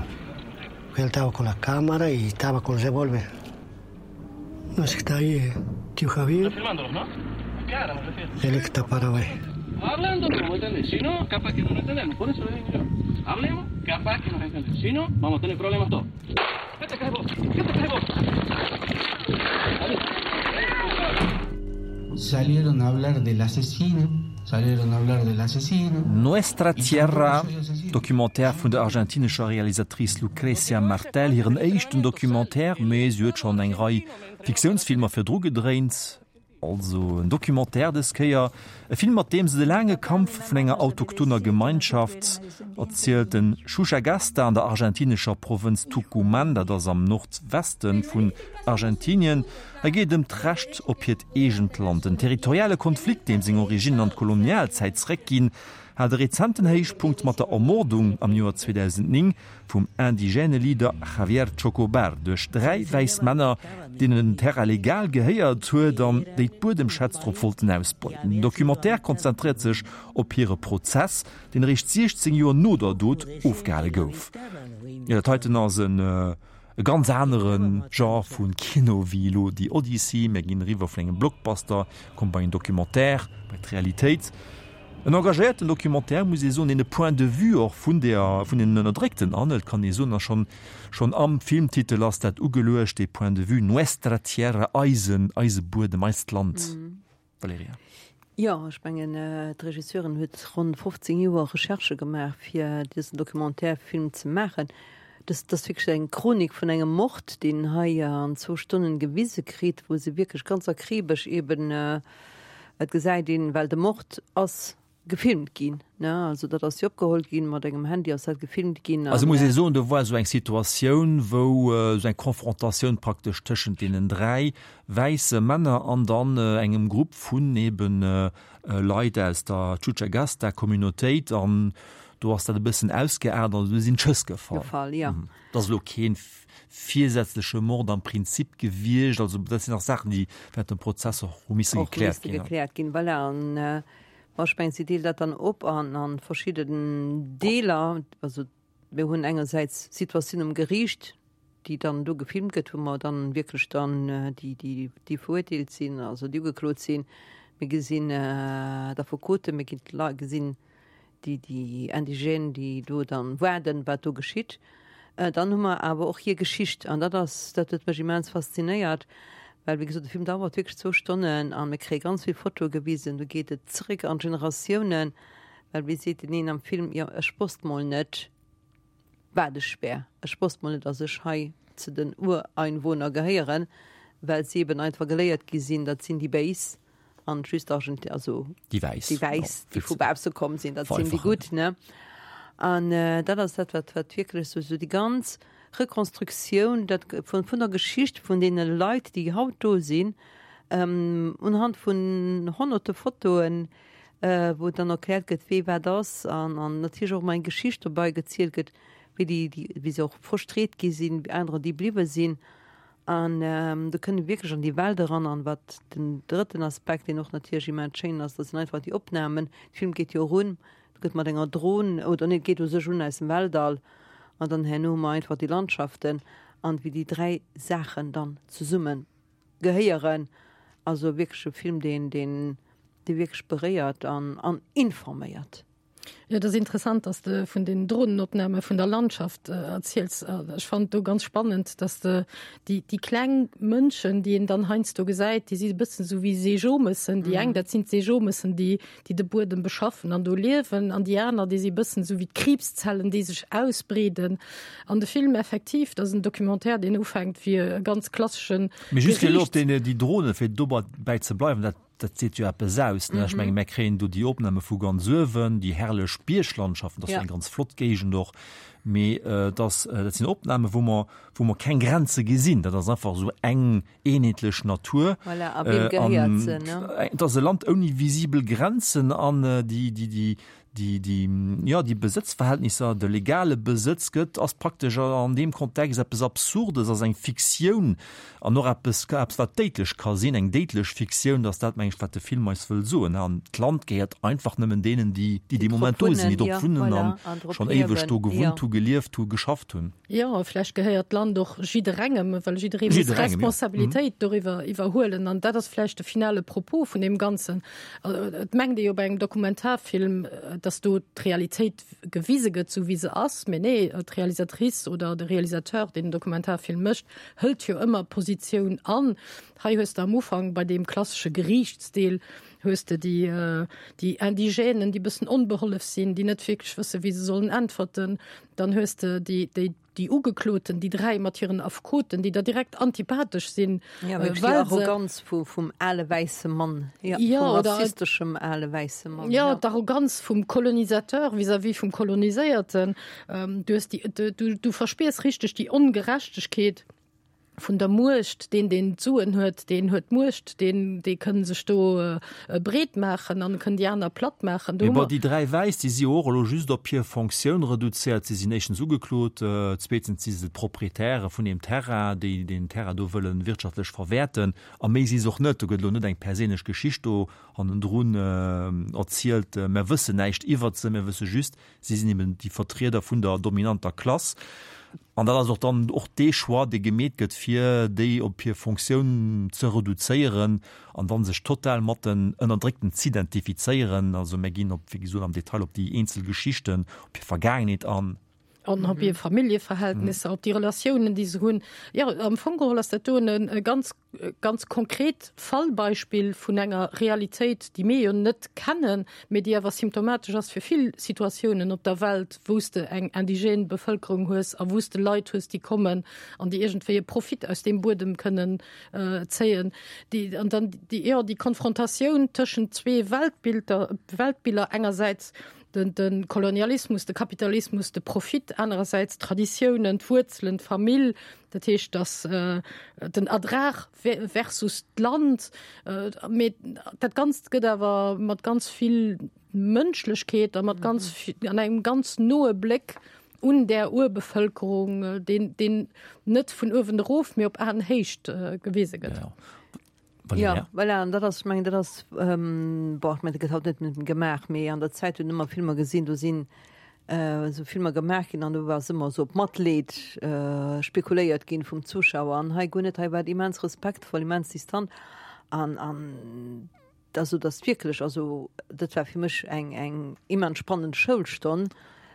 Él estaba con la cámara y estaba con el revólver. No sé si está ahí, eh, tío Javier. Está filmándolos, ¿no? Cara, me refiero. Él que está parado ahí. Hablando no vamos a entender. Si no, capaz que no nos entendemos. Por eso le digo yo. Hablemos, capaz que nos entendemos. Si no, vamos a tener problemas todos. ¿Qué te crees vos? ¿Qué te crees vos? Salieron a hablar del asesino. Salieron a hablar del asesino. Nuestra Tierra, Documentaire vun der argentinescher Realisatrice Lucrecia Martel, hiren éischten Documentaire, mee si huet schonn eng Rei Fiktiounsfilmer virdru gedréint. Also en Documentaire dës Kéier, e Film mat deem se de laange Kampf vun enger autochtoner Gemeinschaft erzielt, den Chuschagasta an der argentinescher Provënz Tucumán, dat ass am Nordweste vun Argentinien. Hei geet et ëm d'Recht op hiert eegent Land. Den territoriale Konflikt, deem seng Originnen an d'Kolonialzäit zeréckginn, hat e rezenten Héichpunkt mat der Ermordung am Joer zweedausendnéng vum indigène Leader Javier Chocobar duerch dräi wäiss Männer, deenen den Terrain legal gehéiert huet an déi d'Buedemschätz drop wollten ausbeuten. Den Documentaire konzentréiert sech op hire Prozess, deen eréischt siechzéng Joer no der Dot ofgehale gouf. Jo, dat heiten ass en e ganz anere Genre vu Kino wéi elo déi Odyssey. Mir ginn eriwwer vun engem Blockbuster, komme bei en Documentaire, bei d'Realitéit. En engagéierten Documentaire, muss ee soen, deen e Point de vue och vun der, vun den Ënnerdréckten anhëlt, kann ee soen, a schonn, schonn am Filmtitel ass dat ugeluecht, dee Point de vue, Nuestra Tierra, eisen, eise Buedem, eist Land. Valerija. Jo, ech mengen, d'Regisseurin huet ronn fofzéng Joer Recherchë gemaach, fir dësen Documentaire-Film ze maachen. Dëst ass wierklech eng Chronik vun engem Mord, deen hei an zwou Stonnen gewise kritt, wou se wierklech ganz akribesch eben, et gesäit een, well de Mord ass gefilmt ginn, ne? Also dat ass jo opgeholl ginn, mat engem Handy ass dat gefilmt ginn. Also muss ee soen, do war esou eng Situatioun, wou esou eng Konfrontatioun praktesch tëschent deenen dräi wäisse Männer an dann engem Grupp vun eben Leit aus der Chuchagasta-Communautéit an do ass dat e bëssen ausgeaart an do sinn d'Schëss gefall. Gefall, jo. Et ass elo kee virsätzleche Mord am Prinzip gewiescht, also dat sinn nach Saachen, déi während dem Prozess och hu misse gekläert ginn. Och misse gekläert ginn, voilà. An Bon, ech mengen, si deelt dat dann op an a verschidden Deeler. Also mir hunn engersäits d'Situatioun um Geriicht, déi dann do gefilmt gëtt, wou mer dann wierklech dann déi, déi, déi verurteelt sinn, also déi ugeklot sinn. Mir gesinn d'Affekoten, mir ginn d'Lei, gesinn déi, déi Indigènes, déi do dann waarden, wat do geschitt. Dann hu mer awer och hir Geschicht an dat ass, dat huet mech immens faszinéiert, well wéi gesot, de Film dauert wierklech zwou Stonnen a mir kréie ganz vill Fotoe gewisen, do geet et zréck an d'Generatiounen, well wéi seet deen een am Film, jo ech wosst mol net wat ech wär, ech wosst mol net, datt ech hei zu den Ureinwohner gehéieren, well si eben einfach geléiert gi sinn, dat sinn déi Béis an just Argent-, also déi Wäiss, déi Wäiss, déi vu bausse komm sinn, dat sinn déi Gutt, ne. An dat ass dat, wat, wat wierklech esou, esou déi ganz Rekonstruktioun dat vun, vun der Geschicht vun deene Leit, déi haut do sinn, unhand vun honnerte Fotoen, wou dann erkläert gëtt, wee wat ass an, an natierlech och emol eng Geschicht dobäi gezielt gëtt, wéi déi, déi, wéi se och frustréiert gi sinn, anerer, déi bliwwe sinn. An do kënnt ee wierklech an déi Welt eran. An wat den drëtten Aspekt, deen och natierlech immens schéin ass, dat sinn einfach déi Opnamen. De Film geet jo erun, et gëtt mat enger Dron, oder nee, et geet u sech un aus dem Weltall an dann herno hu mer einfach déi Landschaften an wéi déi dräi Saachen dann zesumme gehéieren. Also wierklech e Film, deen, deen, dee wierklech beréiert an, an informéiert. Jo, et ass interessant, dass de vun den Dronenopname vun der Landschaft erziels. Ech fannen do ganz spannend, dass de déi, déi kleng Mënschen, déi een dann heiansdo gesäit, déi si e bëssen esou wéi Seejomëssen. Déi eng, dat sinn d'Seejomëssen, déi, déi de Buedem beschaffen an do liewen, an déi aner, déi si e bëssen esou wéi d'Kriibszellen, déi sech ausbreeden. An de Film effektiv, dat ass en Documentaire, deen ufänkt wéi e ganz klasseschen Mee just fir elo op Geriichts. déi, déi Dronen, fir dobäi ze bleiwen, dat Dat seet jo eppes aus, ne? Ech menge mär kréien do déi Opname vu ganz uewen, déi herrlech Bierglandschaften, dat ass jo eng ganz flott Géigend och, mee et ass, dat sinn Opname wou mer, wou mer keng Grenze gesinn. Dat ass einfach esou eng eenheetlech Natur. Voilà, a weem gehéiert se, ne? Et ass e Land ouni visibel Grenzen an déi, déi, déi, Déi, déi, jo, déi Besëtzverhältnisser, de legale Besëtz gëtt, ass praktesch an deem Kontext eppes Absurdes, ass eng Fiktioun an och eppes, eppes wat déidlech ka sinn, eng déidlech Fiktioun, dass dat, meng ech, wat de Film eis wëll soen. An d'Land gehéiert einfach nëmmen deenen, déi, déi dee Moment do sinn, déi drop wunnen an schonn éiweg do gewunnt hu, gelieft hu, geschafft hunn. Jo, a vläicht gehéiert d'Land och jidderengem, well jidderee muss Jidderengem, jo. Responsabilitéit doriwwer iwwerhuelen. An dat ass vläicht de finale Propos vun deem Ganzen. Et mengt ee jo bei engem Dokumentarfilm, dass do d'Realitéit gewise gëtt, sou wéi se ass. Mee nee, d'Realisatrice oder de Realisateur, deen den Dokumentarfilm mécht, hëlt jo ëmmer Positioun an. Hei hues de am Ufank bei deem klassesche Geriichtsdeel hues de déi, déi Indigènen, déi bëssen onbehollef sinn, déi net wierklech wësse wéi se sollen äntwerten. Dann hues de déi, déi, déi Ugekloten, déi dräi mat hiren Affekoten, déi der direkt antipathesch sinn, Ja, wierklech déi well se. Arroganz vu, vum ale wäisse Mann, ja, Ja, vum oder rassisteschem ale wäisse Mann, ja, ja. d'Arroganz vum Kolonisateur vis-à-vis vum Koloniséierten. Du hues déi, du, du, du verspiers richteg déi Ongerechtegkeet vun der Muecht, deen, deen d'Suen huet, deen huet d'Muecht, deen, dee kënn sech do breet maachen an kënn déi aner platt maachen. Do Mee hu bon, mer. déi dräi Wäiss, déi si jo och elo just op hir Fonctioun reduzéiert. Si sinn éischtens ugeklot, zweetens si se d'Proprietäre vun deem Terrain, déi deen Terrain do wëlle wirtschaftlech verwäerten. A méi si se och net. Do gëtt elo net eng perséinlech Geschicht do hannendrun erzielt. Mer wëssen näischt iwwert se, mer wësse just, si sinn eben déi Vertrieder vun der dominanter Klass. An dat ass och dann och dee Choix, dee gemeet gëtt, fir déi op hir Fonctioun ze reduzéieren an dann sech total mat den Ënnerdréckten z'identifizéieren. Also mir ginn op, wéi gesot, am Detail op déi eenzel Geschichten, op hir Vergaangenheet an. An op hir Familljeverhältnisser, op déi Relatiounen, déi se hunn. Jo, am Fong geholl ass dat do e ganz, ganz konkret Fallbeispill vun enger Realitéit, déi mir jo net kennen, mee déi awer symptomatesch ass fir vill Situatiounen op der Welt, wou s de eng indigène Bevëlkerung hues a wou s de Leit hues, déi kommen an déi iergendwéi e Profit aus deem Buedem kënnen zéien. Déi, an dann déi, jo, déi Konfrontatioun tëschent zwee Weltbilder, Weltbiller, engersäits den, de Kolonialismus, de Kapitalismus, de Profit, anerersäits d'Traditiounen, d'Wuerzelen, d'Famill, dat heescht, dass den Ertrag versus d'Land, mee dat Ganzt gëtt awer mat ganz vill Mënschlechkeet a mat ganz an engem ganz noe Bléck un där Urbevëlkerung, deen, deen net vun uewen erof, mee op Aenhéicht gewise gëtt. Valerija? Ja, voilà, an dat ass, ech mengen, dat ass, ähm, boah, ech mengen, dat gëtt haut net méi gemaach, mee an der Zäit hunn ëmmer Filmer gesinn, do sinn äh, esou Filmer gemaach ginn an do war ëmmer esou op Matleed äh, spekuléiert ginn vum Zuschauer an hei guer net, hei war et immens respektvoll, immens distant an, an also dat wierklech, also dat war fir mech eng, eng immens spannend Schoulstonn,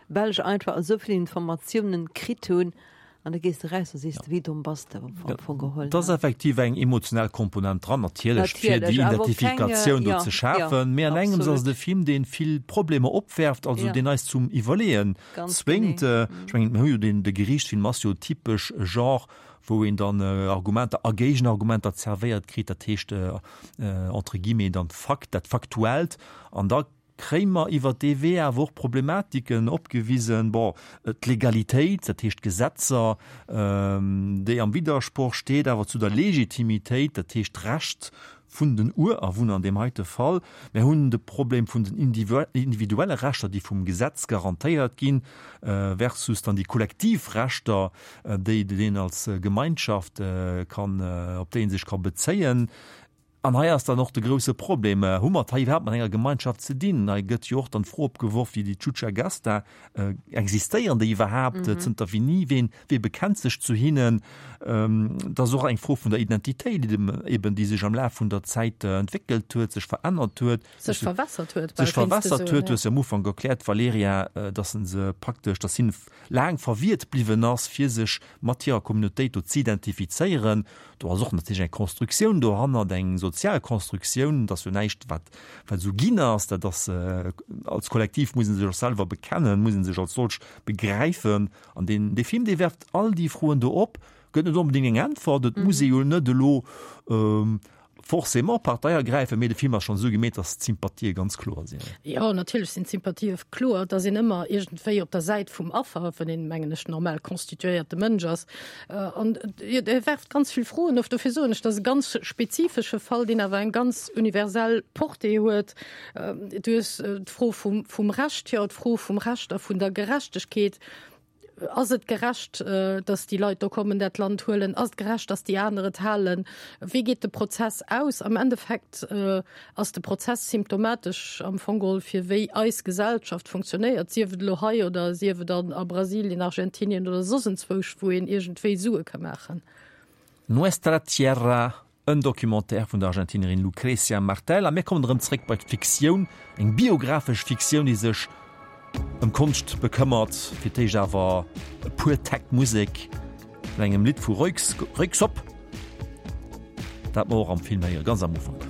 well ech einfach esou vill Informatiounen kritt hunn An da gees de raus a sees de, wéi domm bass de am Fong geholl. Et ass effektiv eng emotional Komponent dran, natierlech, fir déi Identifikatioun do ze schafen. Mee an engems ass et e Film, dee vill Problemer opwerft, also deen eis zum Iwwerleeën zwéngt. Ech mengen, mir hu jo deen, de Geriichtsfilm ass jo typesch e Genre, wou een dann Argumenter a Géigenargumenter zerwéiert kritt, dat heescht entre guillemets dann d'Fakt, dat Faktuellt. An da kréie mer iwwert dee Wee awer och Problematiken opgewisen, bon, d'Legalitéit, dat heescht d'Gesetzer, déi am Widdersproch steet awer zu der Legitimitéit, dat heescht d'Recht vun den Urawunner an deem heite Fall. Mir hunn de Problem vun den individuelle Rechter, déi vum Gesetz garantéiert ginn, versus dann déi kollektiv Rechter, déi een als Gemeinschaft kann, op déi ee sech ka bezéien. An hei ass dann och de grouse Problem, Hu mer et hei iwwerhaapt mat enger Gemeinschaft ze dinn? Hei gëtt jo och dann d'Fro opgeworf, wéi déi Chuchagasta, existéieren déi iwwerhaapt? Zënter wéini? Ween, wee bekennt sech zu hinnen? Et ass och eng Fro vun der Identitéit, eben, déi sech am Laf vun der Zäit entwéckelt huet, sech verännert huet. Sech verwässert huet, bal Sech kéints de verwässert soen, huet. Du ja. hues jo am Ufank erkläert, Valerija, dass en se praktesch, dass hinne laang verwiert bliwwen ass, fir sech mat hirer Communautéit do z'identifizéieren. Do ass och natierlech eng Konstruktioun dohannert, eng sozial Konstruktioun. Dat ass jo näischt, wat wat esou ginn ass. Dat ass, als Kollektiv muss ee sech och selwer bekennen, muss ee sech als solch begräifen. An deen, dee Film, dee werft all déi Froen do op, gëtt net onbedéngt eng Äntwert. Et muss ee jo net elo forcément Partei ergräifen, mee de Film ass schonn esou gemeet, datt d'Sympathië ganz kloer sinn. Jo, natierlech sinn d'Sympathië kloer. Et ass een ëmmer iergendwéi op der Säit vum Affer, wann een, mengen ech, normal constituéierte Mënsch ass. An e werft ganz vill Froen of. Dofir soen ech, dat ass e ganz spezifesche Fall, deen awer eng ganz universell Portée huet. Du hues d'Fro vum, vum Recht, jo, d'Fro vum Recht a vun der Gerechtegkeet. Ass et gerecht, dass déi Leit do kommen, dat Land huelen? Ass et gerecht, dass déi aner et halen? Wéi geet de Prozess aus? Am Endeffekt ass de Prozess symptomatesch am Fong geholl fir wéi eis Gesellschaft funktionéiert, sief et elo hei oder sief et an a Brasilien, Argentinien oder soss enzwousch, wou een iergendwéi Sue ka maachen. Nuestra Tierra, en Documentaire vun der Argentinerin Lucrecia Martel. A mir kommen erëm zréck bei d'Fiktioun, eng biographesch Fiktioun, déi sech ëm Konscht bekëmmert. Fir d'éischt awer e puer Täkt Musek mat engem Lidd vu Röyksopp, dat mer och am Film héiere ganz am Ufank.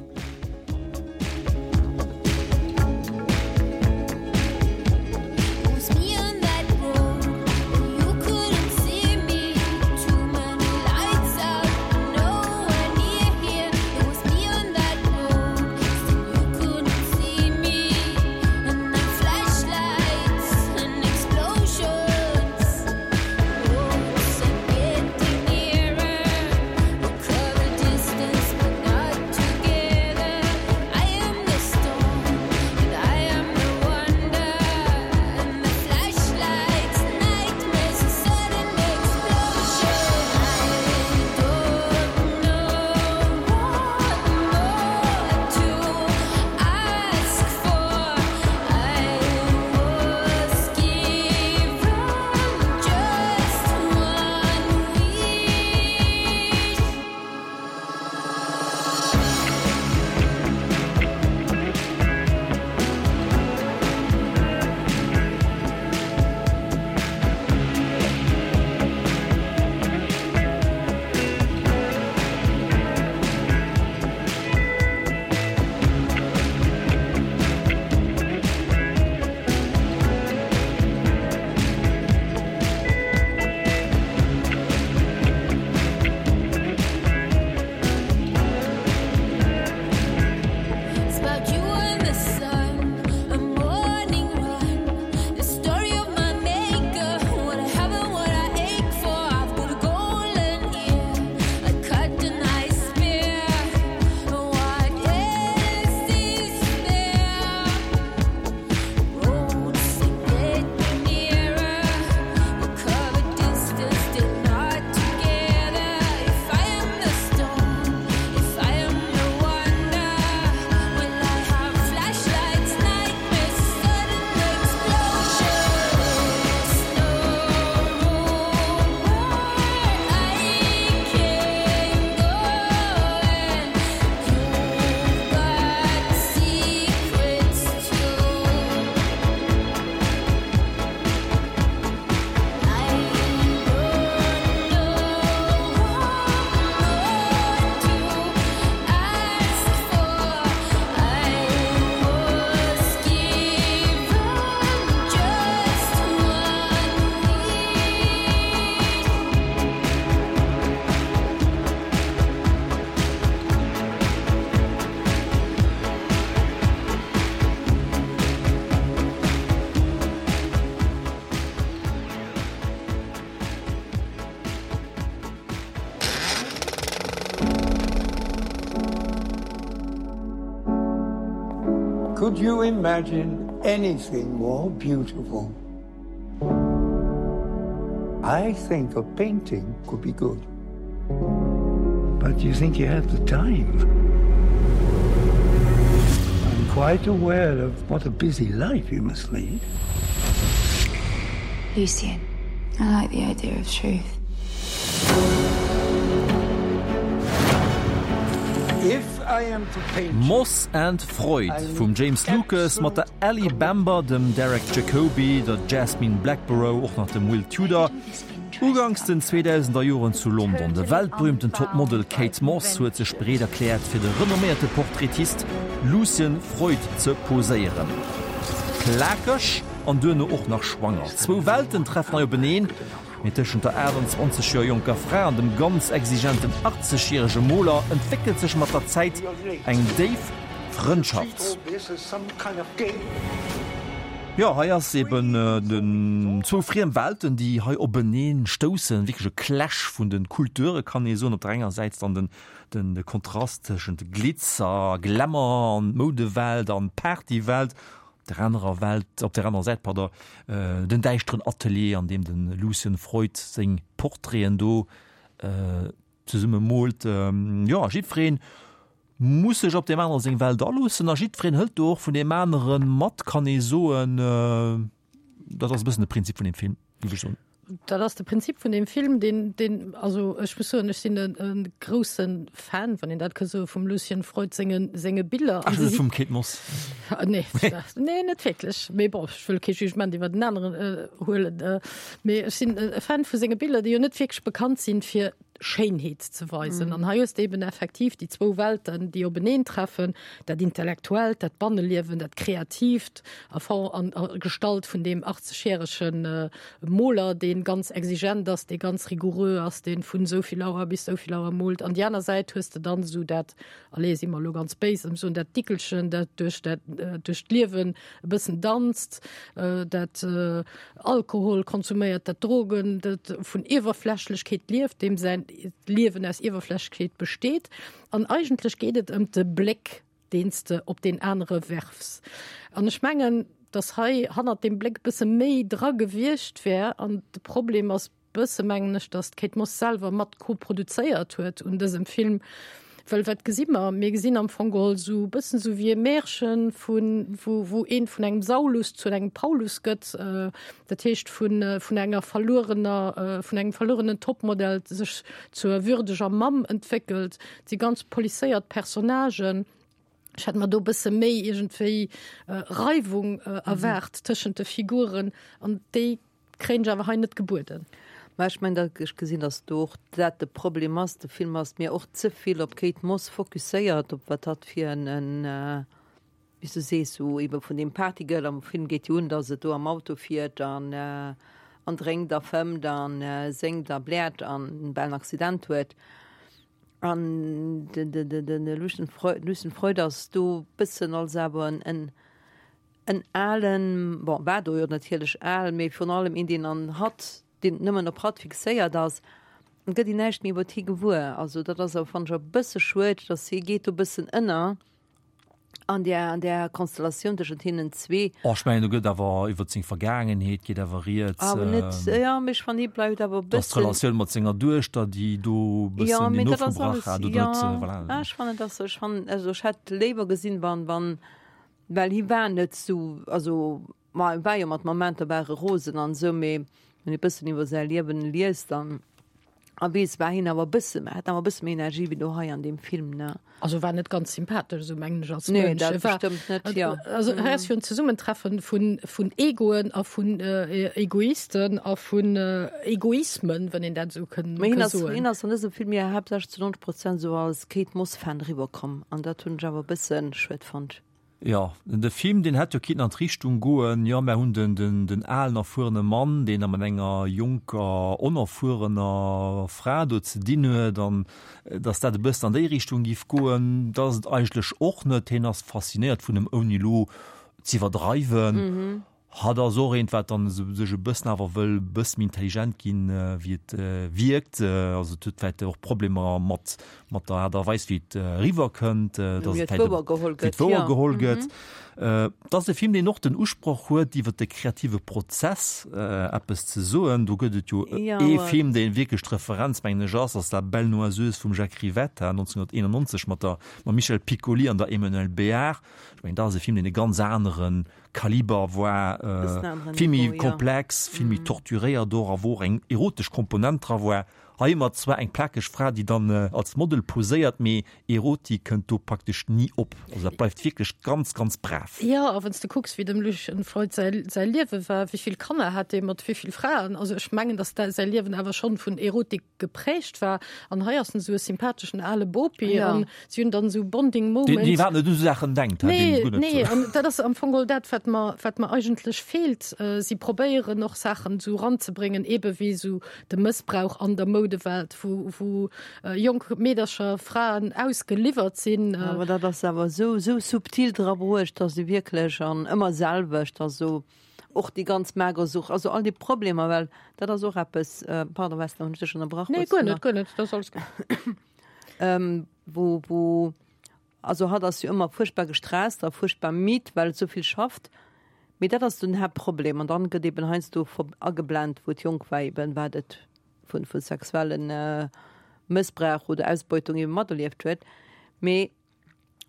Could you imagine anything more beautiful? I think a painting could be good. But you think you have the time? I'm quite aware of what a busy life you must lead. Lucien, I like the idea of truth. Moss and Freud vum James Lucas mat der Ellie Bamber, dem Derek Jacobi, der Jasmine Blackborow, och nach dem Will Tudor. Uganks den zweedausender Joren zu London. De weltberühmten Topmodel Kate Moss huet sech bereet erkläert fir de renomméierte Portraitist Lucian Freud ze poséieren. Plakeg an duerno och nach schwanger. Zwou Welten treffen hei openeen, mee tëschent der aachtanzwanzeg Joer jonker Fra an dem ganz exigenten achtzeg järege Moler entwéckelt sech mat der Zäit eng déif Frëndschaft. Jo, hei ass eben den zwou friem Welten, déi hei openeen stoussen, wierklech e Clash vun de Kulture kann ee soen. Op der enger Säit dann den den de Kontrast tëschent Glitzer, Glamour an Moudewelt an Partywelt, op der anerer Welt, op der anerer Säit, pardon, den däischteren Atelier, an deem de Lucian Freud seng Portraiten do zesumme moolt. Jo, jiddwereen muss sech op deem anere seng Welt aloossen a jiddwereen hëlt do och vun deem anere mat, kann ee soen. Dat ass e bëssen de Prinzip vun deem Film, géif ech soen. Dat ass de Prinzip vun deem Film, deen, deen, also ech muss soen, ech sinn e, e grousse Fan, wann een dat ka soen, vum Lucian Freud senge, senge Biller. Ach, net vum Kate Moss? Nee, nee, net wierklech. Mee bon, ech wëll kee Jugement iwwer den aneren huelen. Mee ech sinn e Fan vu senge Biller, déi jo net wierklech bekannt sinn fir Schéinheet ze weisen. An hei hues de eben effektiv déi zwou Welten, déi openeen treffen, dat Intellektuellt, dat Banneliewen, dat Kreatiivt a Form an a Gestalt vun deem achtzegjärege Moler, dee ganz exigent ass, dee ganz rigoureux ass, dee vun esou vill Auer bis esou vill Auer moolt. An déi aner Säit hues de dann esou dat, allez, si mer elo ganz béis, ëm soen, dat Dickelchen, dat duerch dat duerch d'Liewen e bëssen danzt, dat Alkohol konsuméiert, dat Drogen, dat vun Iwwerflächlechkeet lieft, deem säin Liewen aus Iwwerflächlechkeet besteet. An eigentlech geet et ëm de Bléck, deen s de op deen anere werfs. An ech mengen, dass hei hannert deem Bléck e bësse méi dra gewiescht wär. An de Problem ass bësse, mengen ech, dass d'Kate Moss selwer mat koproduzéiert huet un dësem Film. Well wat gesi mer? Mir gesinn am Fong geholl esou e bëssen esou wéi e Märchen, vun, wou, wou een vun engem Saulus zu engem Paulus gëtt, dat heescht vun, vun enger verluerener, vun engem verluerenen Topmodel sech zur würdeger Mamm entwéckelt. Et si ganz polisséiert Personnagen. Ech hätt mer do e bësse méi iergendwéi Reiwung erwaart tëschent de Figuren an déi kréien ech awer hei net gebueden. Mä ech mengen, datt ech gesinn, datt do och dat de Problem ass. De Film ass mir och ze vill op d'Kate Moss fokusséiert, op wat hatt fir en, en, wéi s du sees, sou ebe vun deem Partygirl. Am Film geet jo un, datt et do am Auto fiert an, an drénkt a fëmmt a séngt a bläert an bal en Accident huet. An de, de, de, de Lucien Freud, Lucien Freud ass do bëssen als awer en, en, En alen, bon, war do jo natierlech al, mee virun allem een, deen an hatt, deen nëmmen op hatt fixéiert ass, et gëtt een näischt méi iwwert hie gewuer. Also dat ass awer, fannen ech, e bësse schued, dass hie geet do e bëssen ënner an där, an där Konstellatioun tëschent hinnen zwee. Oh, ech mengen, do gëtt awer iwwert seng Vergaangenheet geet awer rieds. Awer net, jo, mee ech fannen, hie bleift awer e Dass bëssen. d'Relatioun mat senger Duechter, déi do e Jo, bëssen mee deen dat ass ofgebrach alles, hat, oder jo, net, voilà. ah, ech fannen, dass, ech fannen, also ech hätt léiwer gesinn, wann, wann, Well hie war net sou, also ma e war jo mat Momenter war e rosen an esou, mee wann ee bëssen iwwer säi Liewen liest an a weess, war hien awer e bësse, hat awer e bësse méi Energie wéi do hei an deem Film, ne? Also war net ganz sympathesch, esou mengen ech als Nee, Mënsch. dat E war, bestëmmt net, jo. also hei ass jo en Zesummentreffen vun, vun Egoen a vun Egoisten a vun Egoismen, wann een dat esou kënn, Mee hien ka ass, soen. hien ass an dësem Film jo haaptsächlech zu nonzeg Prozent esou als Kate Moss-Fan eriwwerkomm an dat hunn ech awer e bësse schued fonnt. Jo, de Film, deen hätt jo kinnten an d'Richtung goen, jo, mär hunn den, den, den alen, erfuerene Mann, deen da mat enger jonker, onerfuerener Fra do ze dinn huet, an datt dat e bëssen an déi Richtung giff goen. Dat ass et eigentlech och net. Hien ass faszinéiert vun em, ouni elo z'iwwerdreiwen. Hatt ass och eent, wat dann sech e bëssen awer wëll e bësse méi intelligent ginn, wéi et wierkt. Also et huet vläicht och Problemer mat, mat der Aart a Weis, wéi et eriwwerkënnt, dass Wéi et et vläicht wouergeholl wéi et gëtt, jo. wouergeholl gëtt. Et ass e Film, deen och den Usproch huet, iwwer de kreative Prozess eppes ze soen. Do gëtt et jo ee Film, deen wierklech d'Referenz, mengen ech, ass, ass La Belle Noiseuse vum Jacques Rivette, neunzehnhunderteenundneunzeg mat der, mam Michel Piccoli an der Emmanuelle Béart. Ech mengen, dat ass e Film, deen e ganz anere Kaliber war, vill méi komplex, vill méi torturéiert och a wou och eng erotesch Komponent dra war. Hei hu mer zwar eng plakeg Fra, déi dann als Model poséiert, mee Erotik kënnt do praktesch ni op. Also dat bleift wierklech ganz, ganz brav. Jo, a wann s de kucks, wéi dem Lucian Freud säi säi Liewe war, wéi vill Kanner hat dee mat wéi vill Fraen, also ech mengen, datt da säi Liewen awer schonn vun Erotik geprägt war. An hei ass en esou e sympatheschen ale Bopi an si hunn dann esou Bonding Moments. Deen iwwerhaapt net u sou Saachen denkt, Nee, nee, an dat ass am Fong geholl dat, wat mer, wat mer eigentlech feelt. Si probéieren och Saachen esou eranzebréngen, ebe wéi esou de Mëssbrauch an der Moudewelt, wou, wou jonk Meedercher, Fraen ausgeliwwert sinn. Awer dat ass awer esou, esou subtil dra bruecht, dass se wierklech, an ëmmer selwecht, also och déi ganz Magersucht, also all déi Problemer, well dat ass och eppes, pardon Vesna, hunn ech dech ënnerbrach? Nee, guer net, guer net, dat ass alles gutt. Wou, wou, also hatt ass jo ëmmer fuerchtbar gestresst a fuerchtbar midd, well et esou vill schafft. Mee dat ass den Haaptproblem. An dann gëtt eben heiansdo ageblent, wou et jonk war, eben wat et vu vu sexuellen Mëssbrauch oder Ausbeutung eben materlieft huet. Mee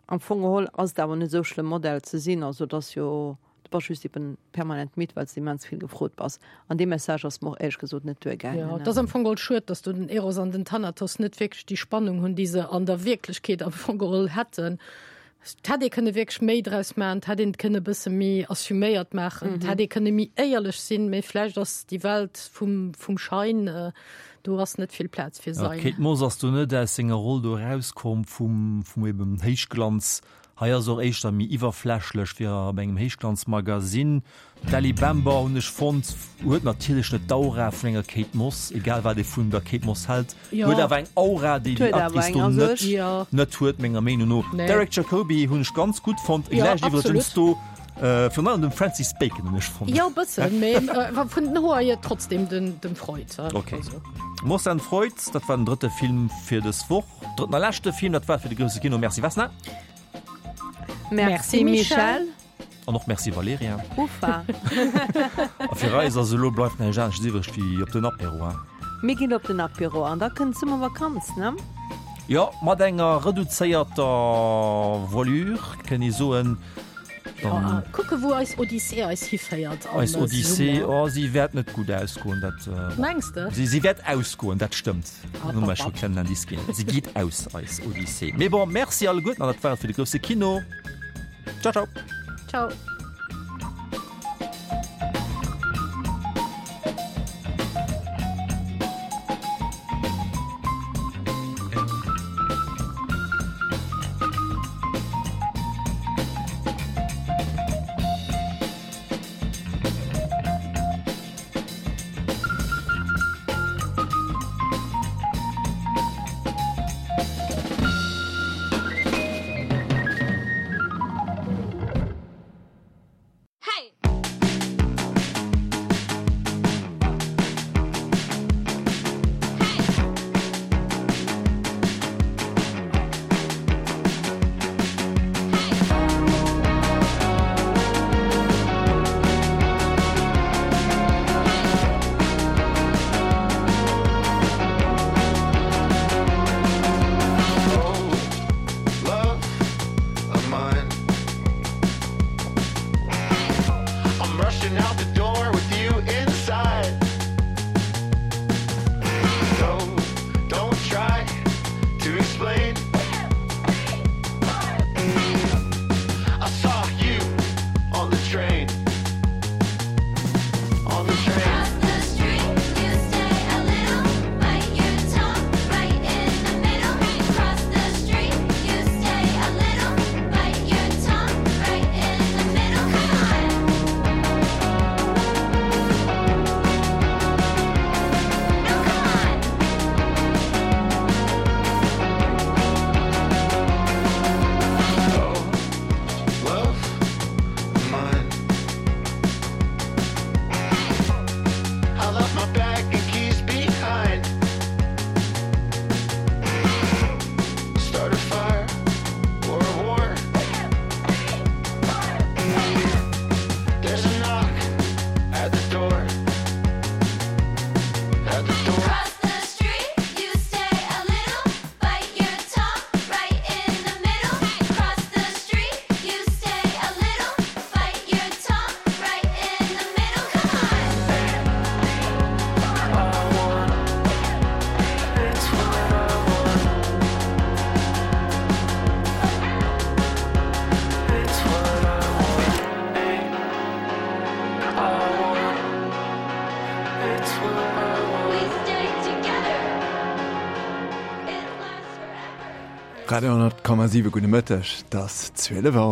am Fong geholl ass et awer net esou schlëmm Modell ze sinn. Also et ass jo, du bass just eben permanent midd, well s de immens vill gefrot bass. An dee Message ass mer och éierlech gesot net duergaangen. Jo, et ass am Fong geholl schued, dass do den Eros an den Thanatos net wierklech déi Spannung hunn, déi se an der Wierklechkeet am Fong geholl hätten. Et hätt ee kënne wierklech méi draus maachen, et hätt een et kënne e bësse méi assuméiert maachen, et hätt ee kënne méi éierlech sinn, mee vläicht ass déi Welt vum, vum Schein, do ass net vill Plaz fir Ja, Sein. d'Kate Moss ass do net aus senger Roll do erauskomm vum, vum eben Héichglanz. Hei ass och éischter méi iwwerflächlech wéi op engem Héichglanzmagasinn. D'Ellie Bamber hunn ech fonnt, huet natierlech net d'Aura vun enger Kate Moss, egal wat ee vun der Kate Moss hält, Jo. huet awer eng Aura, déi déi Huet awer Actrice eng, do also net, ech. Jo. net huet, menger Meenung no. Nee. Derek Jacobi hunn ech ganz gutt fonnt, Jo, gläicht iwwregens absolut. do virun allem dem Francis Bacon hunn ech fonnt. Jo, e bëssen, mee vun den Hoer hier trotzdem den, dem Freud. Okay. Also. Moss and Freud, dat war den drëtte Film fir dës Woch, drëtten a leschte Film, dat war et fir de grousse Kino. Merci Vesna. Merci Michel. An och Merci Valerija. Uffa. A fir eis ass elo bleift näischt anescht iwwreg wéi op den Apéro, hein? Mir ginn op den Apéro an da kënnt d'Summervakanz, ne? Jo, mat enger reduzéierter Voilure, kënnt ee soen. Dann kucke wou eis Odyssee eis hiféiert am Eis Odyssee, Summer. oh, si wäert net gutt ausgoen, dat. Mengs de? Si, si wäert ausgoen, dat stëmmt. App, Hu mer app, scho app. klengen Indice ginn. Si geet aus, eis Odyssee. Mee bon, merci alleguerten an dat war et fir de grousse Kino. Ciao, ciao. Ciao. Love of mine. We stay together. Radio honnert Komma siwe, gudde Mëtteg, 't ass zwielef Auer.